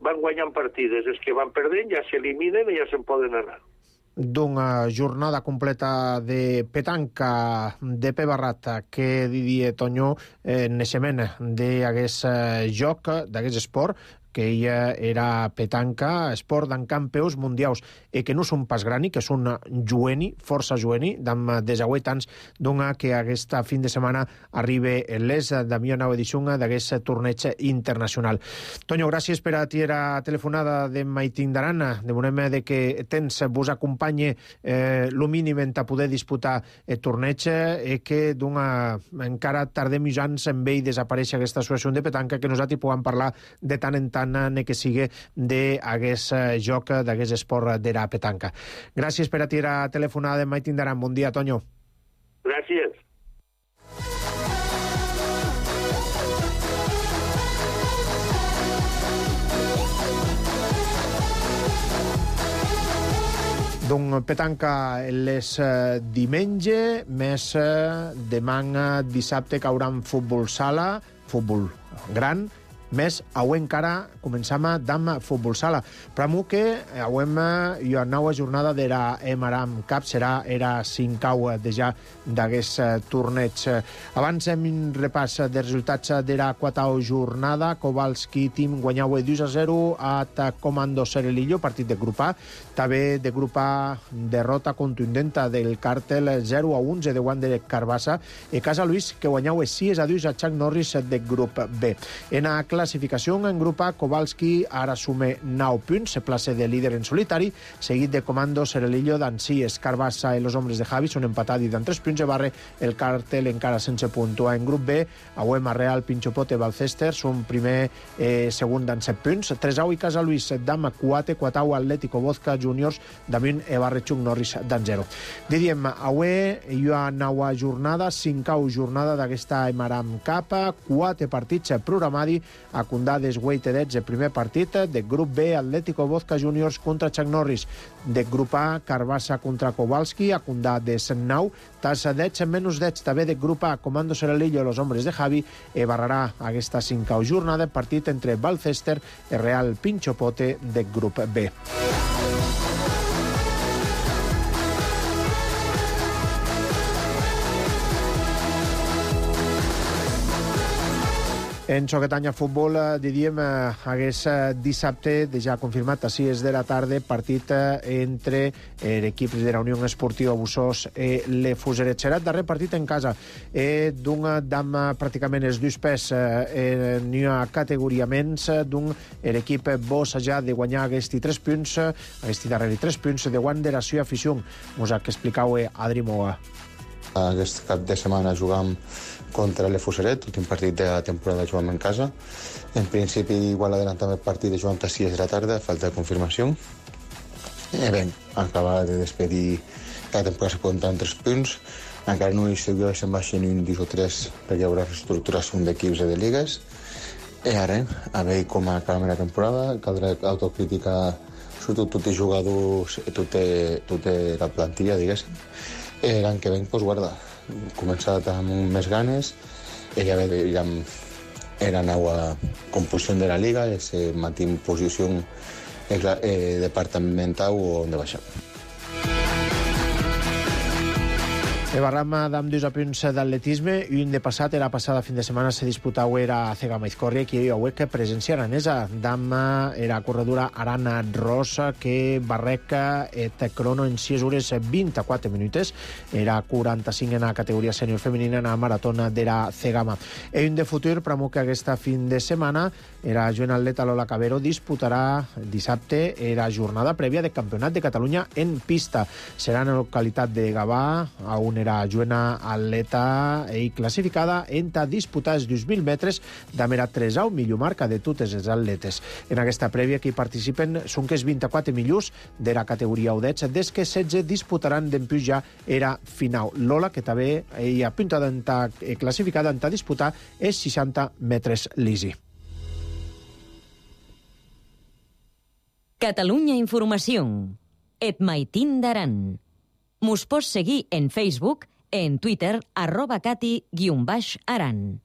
van guanyant partides. Els que van perdent ja s'eliminen i ja se'n poden anar. D'una jornada completa de petanca de Pebarrat que Didier Toño naixement d'aquest joc, d'aquest esport, que ella era petanca, esport d'en campeus mundials, i que no són pas grani, que són jueni, força jueni, d'en desauet anys, dona que aquesta fin de setmana arriba les de millor nova edició d'aquest torneig internacional. Toño, gràcies per a ti la telefonada de Maitín d'Aran. Demanem de que tens vos acompanye lo mínim en poder disputar el torneig i que dona encara tardem mig anys en ve i desaparèixer aquesta associació de petanca que nosaltres puguem parlar de tant en tant que sigui d'aquest joc, d'aquest esport de la petanca. Gràcies per a ti la telefonada de Maitín d'Aran. Bon dia, Toño. Gràcies. Doncs petanca les diumenge, més demà dissabte cauran futbol sala, futbol gran, més avui encara començam amb futbol sala. Però que avui hi ha nova jornada de la Emaram Cup, serà era 5 de ja d'aquest torneig. Abans hem un repàs de resultats de la 4ª jornada. Kowalski Team guanyava 2-0 a Comando Serelillo, partit de grup A. També de grup A derrota contundenta del Càrtel 0-11 de Wander Carbassa. I Casa Luis que guanyava 6-2 a Chuck Norris de grup B. En la classificació en grup A, Kowalski ara sume 9 punts, se place de líder en solitari, seguit de Comando Serelillo, d'Ansíes, Carbassa i los hombres de Javi són empatats i d'en 3 punts de barre, el Càrtel encara sense puntuar. En grup B, Auem, Arreal, Pinchopote, Balcester són primer segon d'en 7 punts, 3au i Casa Luis, Dama, 4au Atlético Vodka Juniors, damunt Ebarre Chuck Norris d'en 0. Diem, avui hi ha nova jornada, 5ª jornada d'aquesta Emaram Cup, 4 partits programadi, a Condades Weightedets, el primer partit de grup B, Atlético Vodka Juniors contra Chuck Norris, de grup A, Carbassa contra Kowalski, a Condades 9, Tassadets menys 10, també de grup A, Comando Serelillo, los hombres de Javi, barrarà aquesta 5ª jornada, partit entre Balcester i Real Pinchopote de grup B. En xoquetanya futbol, diríem, aquest dissabte, ja confirmat a 6 de la tarda, partit entre l'equip de la Unió Esportiva Bussós i l'Efusaret. Serà el darrer partit en casa d'un dam pràcticament els 2 pes n'hi ha categoria menys d'un l'equip Bossa de guanyar aquests 3 punts, aquests darrers 3 punts de Wanderació i afició. Us ha explicau Adri Moga. Aquest cap de setmana jugam contra l'Efusaret, l'últim partit de la temporada jugam en casa. En principi, igual adelantam el partit de jugam a 6 de la tarda, falta de confirmació. Bé, acaba de despedir la temporada se poden entrar 3 punts. Encara no hi seguirà se'n baixen un 2 o 3 perquè hi haurà reestructuració d'equips i de lligues. I ara, a veure com acabem la temporada, caldrà autocrítica sobretot tots els jugadors, tota la plantilla, diguéssim. L'any que venc, doncs, guarda, començat amb més ganes, ja era nova composició de la Liga, mantim posició departamental on de baixar. Barram amb 2 punts d'atletisme i un de passat, la passada fin de setmana se disputava a Cegama Izcorria, que hi ha que presenciaran esa dama era corredora Arana Rosa que barreca et crono en 6 hores 24 minuts, era 45 en la categoria sènior femenina en la maratona de la Cegama. I un de futur, però que aquesta fin de setmana era joven atleta Lola Cabero disputarà dissabte la jornada prèvia del Campionat de Catalunya en pista. Serà en la localitat de Gavà, on era joana atleta i classificada en disputar els 2.000 metres d'amera 3au millor marca de totes les atletes. En aquesta prèvia que hi participen són que els 24 millors de la categoria udets, des que 16 disputaran d'empús ja era final. Lola, que també hi ha apuntada classificada en disputar els 60 metres lisi. Catalunya Informació. et maitin d'Aran. Mos pots seguir en Facebook, en Twitter, @cati_aran.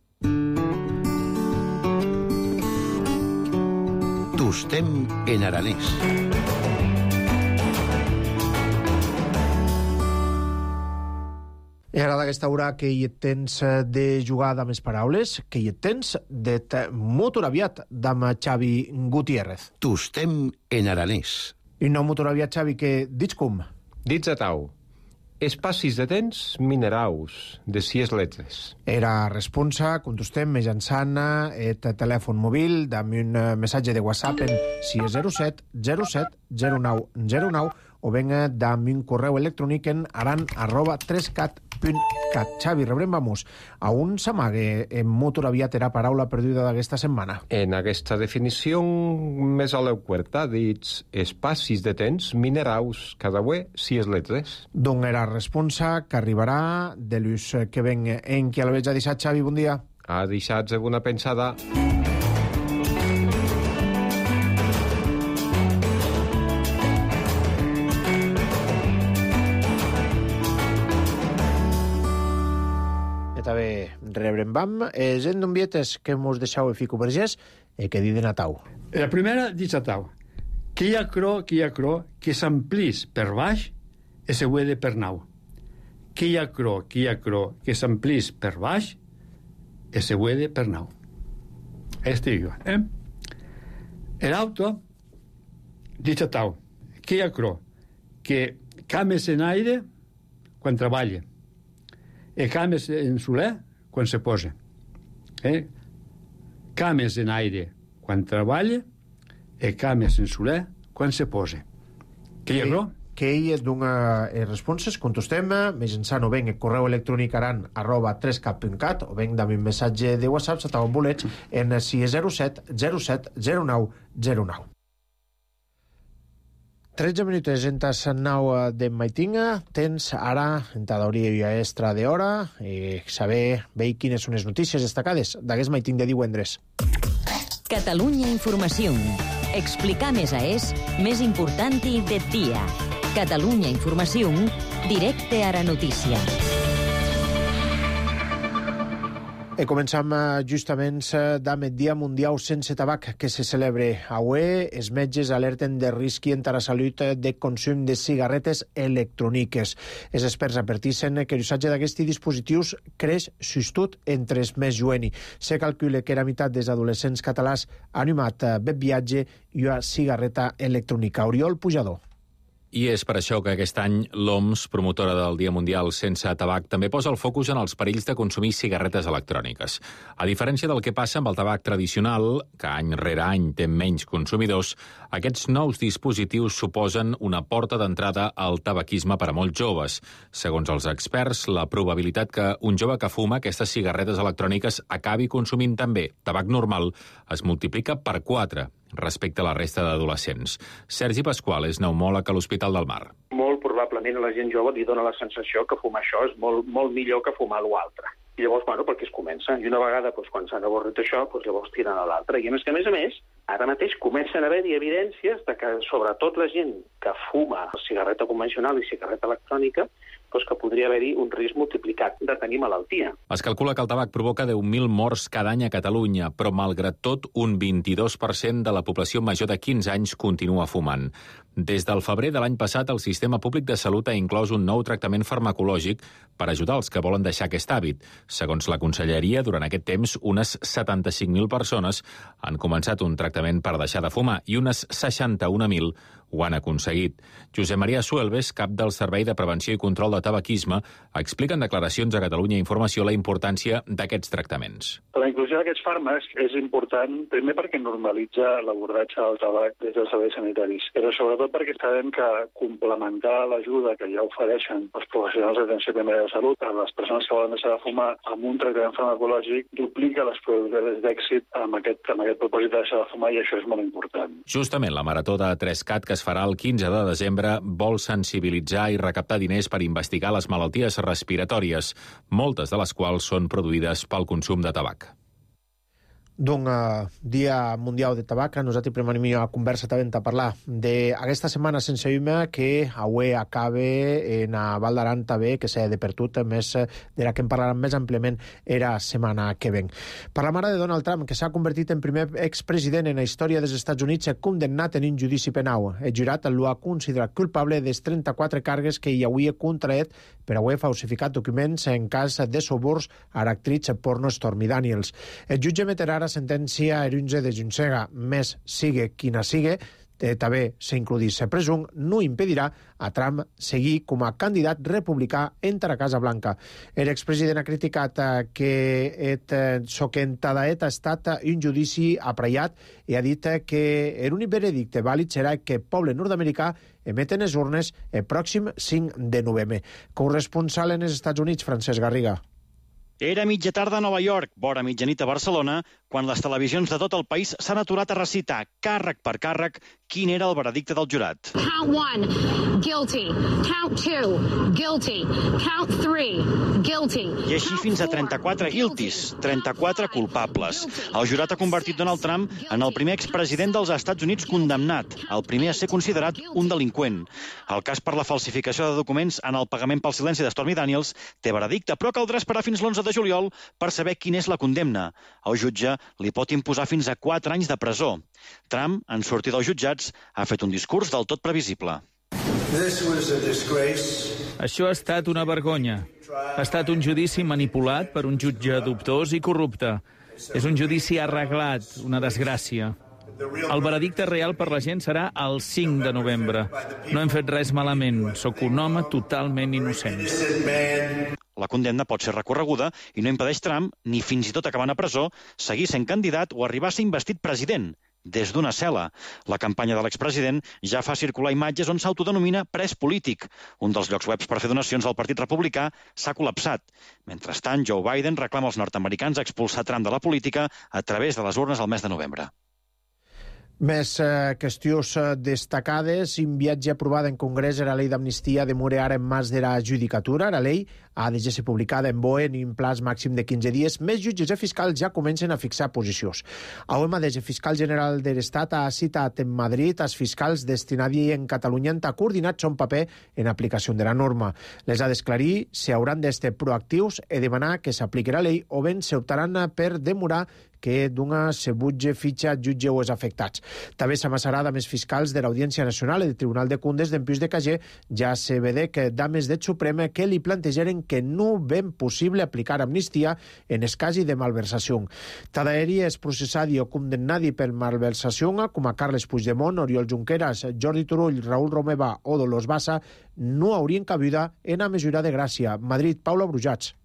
Tostem en aranès. I ara d'aquesta hora que hi tens de jugar amb les paraules, que hi tens de motor aviat amb Xavi Gutiérrez. Tostem en aranès. I no motor aviat, Xavi, que dits com? Dits a tau. Espacis de temps mineraus, de 6 letres. Era responsa, contestem mitjançant el telèfon mòbil amb un missatge de WhatsApp en 607 07 09 09 o venga amb un correu electrònic en aran@3cat.cat. Xavi, rebrem, vamos, a un s'amague en motor aviat era paraula perduda d'aquesta setmana. En aquesta definició més a l'euquerta dits espacis de temps mineraus, cada ué 6 letres. D'on era responsa que arribarà de l'ús que ven en qui l'haveig a deixar, Xavi, bon dia. Ha deixat una pensada. També rebrem vam. Gent d'envietes que mos deixau a Fico Vergés que diden a tau. La primera dice a tau. Que hi ha cro, que s'amplís per baix i se huede per nau. Que hi ha cro, que s'amplís per baix i se huede per nau. Estic jo, El auto dice a tau. Que hi ha cro, que cames en aire quan treballa. E cames en soler quan se posa. Cames en aire quan treballa e cames en soler quan se posa. Que hi ha raó? Que ell dona responses, contestem, mitjançant o ben el correu electrònic aran@3cat.cat o ben amb un missatge de WhatsApp s'ataven bolets en 607 07 09 09. 13 minuts en tas 9 de maitinga. Tens ara, en t'adauria extra d'hora, saber veure quines són les notícies destacades d'aquest maiting de divendres. Catalunya Informació. Explicar més més important del dia. Catalunya Informació, directe a la notícia. Començam justament amb el Dia Mundial sense tabac que se celebra avui. Els metges alerten de risc i a la salut de consum de cigarretes electròniques. Els experts adverteixen que l'usatge d'aquests dispositius creix sostut entre els més joves. Se calcula que la meitat dels adolescents catalans han animat viatge i una cigarreta electrònica. Oriol Pujador. I és per això que aquest any l'OMS, promotora del Dia Mundial sense tabac, també posa el focus en els perills de consumir cigarretes electròniques. A diferència del que passa amb el tabac tradicional, que any rere any té menys consumidors, aquests nous dispositius suposen una porta d'entrada al tabaquisme per a molts joves. Segons els experts, la probabilitat que un jove que fuma aquestes cigarretes electròniques acabi consumint també tabac normal es multiplica per 4 respecte a la resta d'adolescents. Sergi Pasqual és pneumòleg a l'Hospital del Mar. Molt probablement a la gent jove li dona la sensació que fumar això és molt millor que fumar l'altre. I llavors, perquè es comença. I una vegada, quan s'han avorrit això, llavors tiren a l'altre. I a més, ara mateix comencen a haver-hi evidències de que, sobretot la gent que fuma cigarreta convencional i cigarreta electrònica, que podria haver-hi un risc multiplicat de tenir malaltia. Es calcula que el tabac provoca 10.000 morts cada any a Catalunya, però malgrat tot, un 22% de la població major de 15 anys continua fumant. Des del febrer de l'any passat, el Sistema Públic de Salut ha inclòs un nou tractament farmacològic per ajudar els que volen deixar aquest hàbit. Segons la Conselleria, durant aquest temps, unes 75.000 persones han començat un tractament per deixar de fumar i unes 61.000 ho han aconseguit. Josep Maria Suelves, cap del Servei de Prevenció i Control de Tabaquisme, explica en declaracions a Catalunya Informació la importància d'aquests tractaments. La inclusió d'aquests fàrmacs és important, primer perquè normalitza l'abordatge del tabac des dels serveis sanitaris, però sobretot perquè sabem que complementar l'ajuda que ja ofereixen els professionals d'atenció primària de salut a les persones que volen deixar de fumar amb un tractament farmacològic duplica les probabilitats d'èxit amb aquest propòsit de deixar de fumar, i això és molt important. Justament la Marató de 3CAT, que es farà el 15 de desembre, vol sensibilitzar i recaptar diners per investigar les malalties respiratòries, moltes de les quals són produïdes pel consum de tabac. d'un Dia Mundial de Tabac. Nosaltres premenim a conversa també a parlar d'aquesta setmana sense hume que avui acabe en a Val d'Aran també, que s'ha de per tot, més de la que en parlarem més àmpliament era setmana que ven. Parlam ara de Donald Trump, que s'ha convertit en primer expresident en la història dels Estats Units condemnat en un judici penal. El jurat l'ha considerat culpable dels 34 càrregues que hi havia contraet per haver falsificat documents en cas de suborns a l'actriz porno Stormy Daniels. El jutge emetrà ara sentència el 11 de juny. Més sigue quina sigue, també s'includís presum, no impedirà a Trump seguir com a candidat republicà entre la Casa Blanca. L'expresident ha criticat que so que ha estat un judici apraiat i ha dit que l'únic veredicte vàlid serà que el poble nord-americà emeten les urnes el pròxim 5 de novembre. Corresponsal en els Estats Units, Francesc Garriga. Era mitja tarda a Nova York, vora mitjanit a Barcelona, quan les televisions de tot el país s'han aturat a recitar, càrrec per càrrec, quin era el veredicte del jurat. Count 1, guilty. Count 2, guilty. Count 3, guilty. I així fins a 34 guilties, 34 culpables. El jurat ha convertit Donald Trump en el primer expresident dels Estats Units condemnat, el primer a ser considerat un delinqüent. El cas per la falsificació de documents en el pagament pel silenci de Stormy Daniels té veredicte, però caldrà esperar fins l'11 de juliol per saber quina és la condemna. El jutge li pot imposar fins a 4 anys de presó. Trump, en sortir dels jutjats, ha fet un discurs del tot previsible. Això ha estat una vergonya. Ha estat un judici manipulat per un jutge dubtós i corrupte. És un judici arreglat, una desgràcia. El veredicte real per la gent serà el 5 de novembre. No hem fet res malament. Sóc un home totalment innocent. La condemna pot ser recorreguda i no impedeix Trump, ni fins i tot acabant a presó, seguir sent candidat o arribar a ser investit president, des d'una cel·la. La campanya de l'expresident ja fa circular imatges on s'autodenomina pres polític. Un dels llocs webs per fer donacions al Partit Republicà s'ha col·lapsat. Mentrestant, Joe Biden reclama als nord-americans expulsar Trump de la política a través de les urnes al mes de novembre. Més qüestions destacades. Un viatge aprovada en Congrés era la llei d'amnistia demora ara en mans de la judicatura. La llei ha de ser publicada en BOE en un plaç màxim de 15 dies. Més jutges i fiscals ja comencen a fixar posicions. Avui mateix el fiscal general de l'Estat ha citat en Madrid els fiscals destinats en Catalunya a coordinar son paper en aplicació de la norma. Les ha d'esclarir si hauran d'estar proactius i demanar que s'apliqui la llei o ben s'optaran per demorar que d'una se butge fitxa jutge o els afectats. També s'amassarà dames fiscals de l'Audiència Nacional i del Tribunal de Comptes d'en Pius de Cager. Ja se vede que dames del Suprem que li plantejaren que no ben possible aplicar amnistia en el cas de malversació. Tadaeri és processat o condemnat per malversació com a Carles Puigdemont, Oriol Junqueras, Jordi Turull, Raül Romeva o Dolors Bassa no haurien cabuda en la mesura de gràcia. Madrid, Paula Brujats.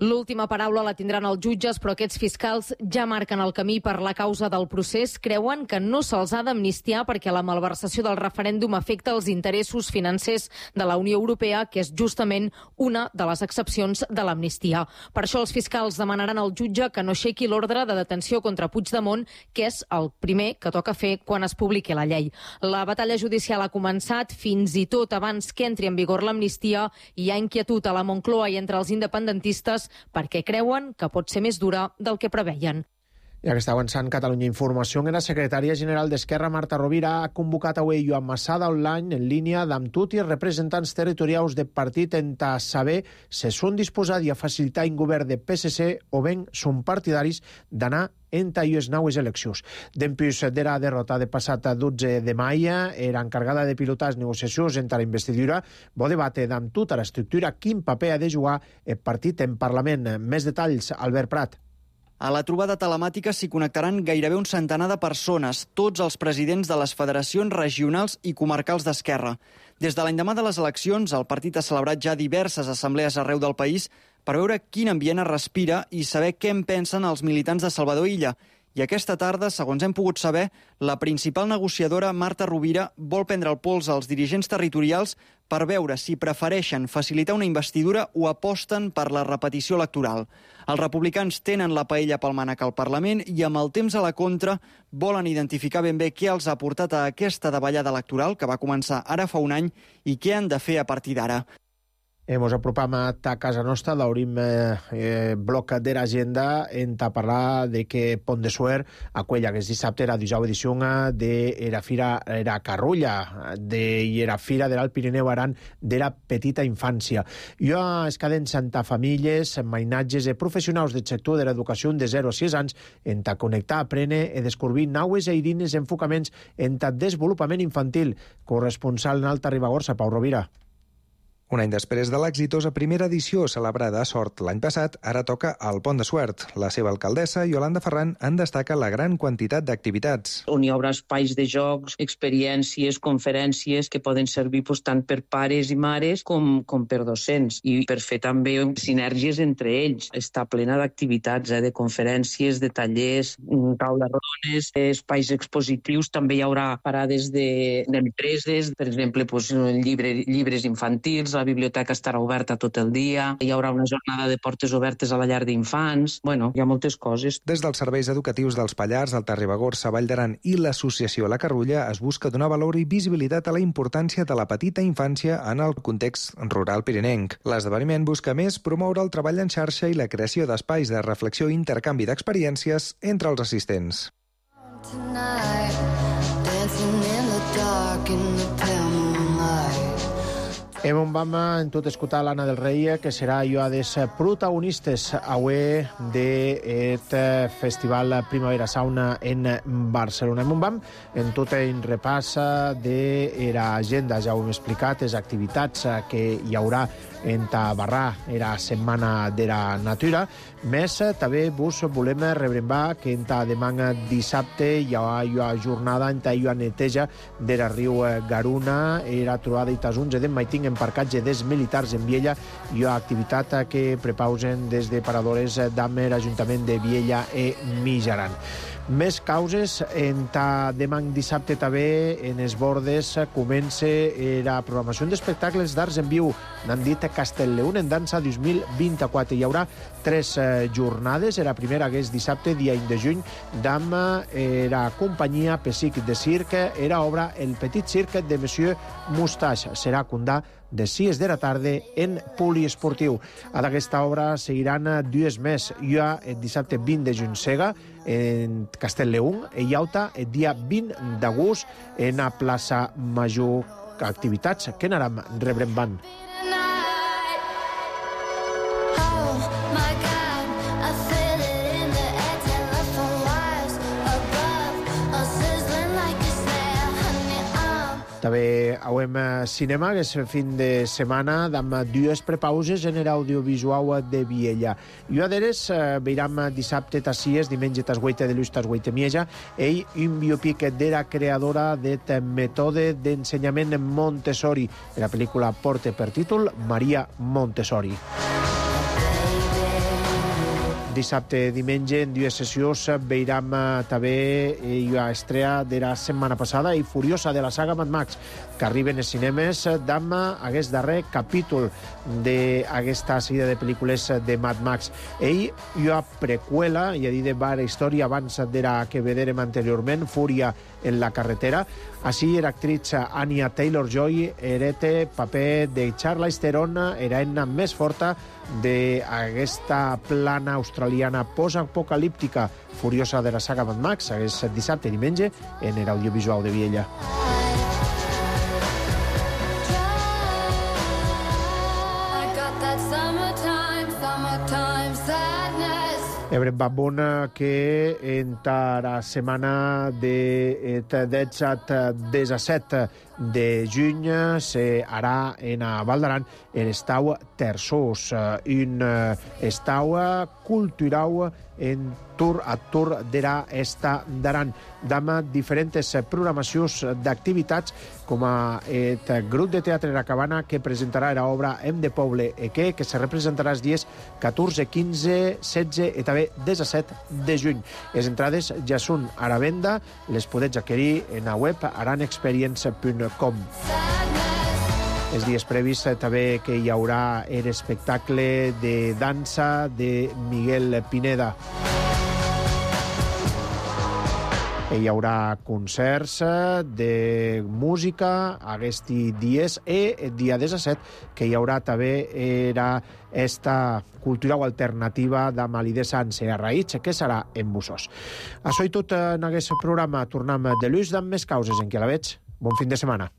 L'última paraula la tindran els jutges, però aquests fiscals ja marquen el camí per la causa del procés. Creuen que no se'ls ha d'amnistiar perquè la malversació del referèndum afecta els interessos financers de la Unió Europea, que és justament una de les excepcions de l'amnistia. Per això els fiscals demanaran al jutge que no aixequi l'ordre de detenció contra Puigdemont, que és el primer que toca fer quan es publiqui la llei. La batalla judicial ha començat fins i tot abans que entri en vigor l'amnistia. Hi ha inquietud a la Moncloa i entre els independentistes perquè creuen que pot ser més dura del que preveien. Ja que està avançant Catalunya Informació, la secretària general d'Esquerra, Marta Rovira, ha convocat avui Joan Massada online en línia amb tots els representants territorials del partit en saber si són disposats a facilitar un govern de PSC o ben són partidaris d'anar entre les noves eleccions. Dempuix de la derrota de passat 12 de maig, era encarregada de pilotar les negociacions entre la investidura, va debatre amb tota l'estructura quin paper ha de jugar el partit en Parlament. Més detalls, Albert Prat. A la trobada telemàtica s'hi connectaran gairebé un centenar de persones, tots els presidents de les federacions regionals i comarcals d'Esquerra. Des de l'endemà de les eleccions, el partit ha celebrat ja diverses assemblees arreu del país per veure quin ambient es respira i saber què en pensen els militants de Salvador Illa. I aquesta tarda, segons hem pogut saber, la principal negociadora, Marta Rovira, vol prendre el pols als dirigents territorials per veure si prefereixen facilitar una investidura o aposten per la repetició electoral. Els republicans tenen la paella pel mànec al Parlament i amb el temps a la contra volen identificar ben bé què els ha portat a aquesta davallada electoral que va començar ara fa un any i què han de fer a partir d'ara. Hemos apropam a casa nostra, l'haurim bloc de l'agenda en parlar de que Pont de Suert aquella que és dissabte era 19 edició de la Fira era Carrulla de la Fira de l'Alt Pirineu Aran de la petita infància. Jo es caden Santa Famílies, mainatges de professionals del sector de l'educació de 0 a 6 anys en ta connectar, aprendre i descobrir naues i eirines enfocaments en ta desenvolupament infantil. Corresponsal en Alta Ribagorça, Pau Rovira. Un any després de l'exitosa primera edició celebrada a Sort l'any passat, ara toca al Pont de Suert. La seva alcaldessa, Iolanda Ferran, en destaca la gran quantitat d'activitats. On hi haurà espais de jocs, experiències, conferències que poden servir tant per pares i mares com per docents i per fer també sinergies entre ells. Està plena d'activitats, de conferències, de tallers, taules rodones, espais expositius. També hi haurà parades d'empreses, per exemple, llibres infantils, la biblioteca estarà oberta tot el dia, hi haurà una jornada de portes obertes a la llar d'infants. Bueno, hi ha moltes coses. Des dels serveis educatius dels Pallars, Alta Ribagorça, Vall d'Aran i l'associació La Carrulla es busca donar valor i visibilitat a la importància de la petita infància en el context rural pirinenc. L'esdeveniment busca més promoure el treball en xarxa i la creació d'espais de reflexió i intercanvi d'experiències entre els assistents. Tonight, dancing in the dark in the pale moonlight. Hem un vam en tot escoltar l'Anna del Rei, que serà jo a des protagonistes avui d'aquest festival Primavera Sauna en Barcelona. Hem un vam en tot en repassa de l'agenda, ja ho hem explicat, les activitats que hi haurà en Tabarrà, era Setmana de la Natura. Més, també vos volem rebrembar que en demà dissabte hi ha jornada en la neteja de la riu Garuna, era trobada i tasunge d'en Maiting en parcatge dels militars en Viella. Hi ha activitat que prepausen des de paradores d'Amer, Ajuntament de Viella i Mijaran. Més causes, en demà dissabte també en els bordes comença la programació d'espectacles d'arts en viu. N'han dit Castellleun en dansa 2024. Hi haurà 3 jornades. La primera que és dissabte, dia 1 de juny, amb la companyia Pessic de Circ. Era obra El Petit Circ de Monsieur Moustache. Serà condà de 6 de la tarda en poliesportiu. A d'aquesta obra seguiran 2 més. Hi ha el dissabte 20 de juny Sega en Castellleun i Iauta el dia 20 d'agost en la plaça Major. Activitats que anàrem rebrembant. També hauem cinema, que és fin de setmana, amb 2 prepauses en l'audiovisual de Viella. I a deres veiram dissabte tassies, diumenge tas 8 de l'ús tas 8 mieja, i un biopic de la creadora del mètode d'ensenyament Montessori. La pel·lícula porta per títol Maria Montessori. Dissabte, diumenge, en 2 sessions, veiram també la estrella de la setmana passada i Furiosa de la saga Mad Max, que arriben als cinemes amb aquest darrer capítol d'aquesta sèrie de pel·lícules de Mad Max. Ell hi ha preqüela, i ha dit de la història abans de la que vedérem anteriorment, Fúria en la carretera. Així, l'actriz Anya Taylor-Joy hereta paper de Charlize Theron, heroïna més forta d'aquesta plana australiana post-apocalíptica Furiosa de la saga Mad Max. És dissabte i diumenge en l'audiovisual de Viella. Ebrem Bambun, que entre la setmana de 17 de juny serà en Val d'Aran l'estau Terçós, un estau cultural en a Tour de l'Esta d'Aran, amb diferents programacions d'activitats, com el grup de teatre La Cabana, que presentarà l'obra Hem de Poble que se representarà els dies 14, 15, 16 i també 17 de juny. Les entrades ja són a la venda, les podeu adquirir en la web aranexperience.com. Els dies previs també que hi haurà l'espectacle de dansa de Miguel Pineda. Hi haurà concerts de música aquests dies i el dia 17 que hi haurà també era esta cultura o alternativa de Malí de Sanse a Raïts, que serà en Bussós. Això i tot en aquest programa. Tornem de l'ús amb més causes en què la veig. Bon fin de setmana.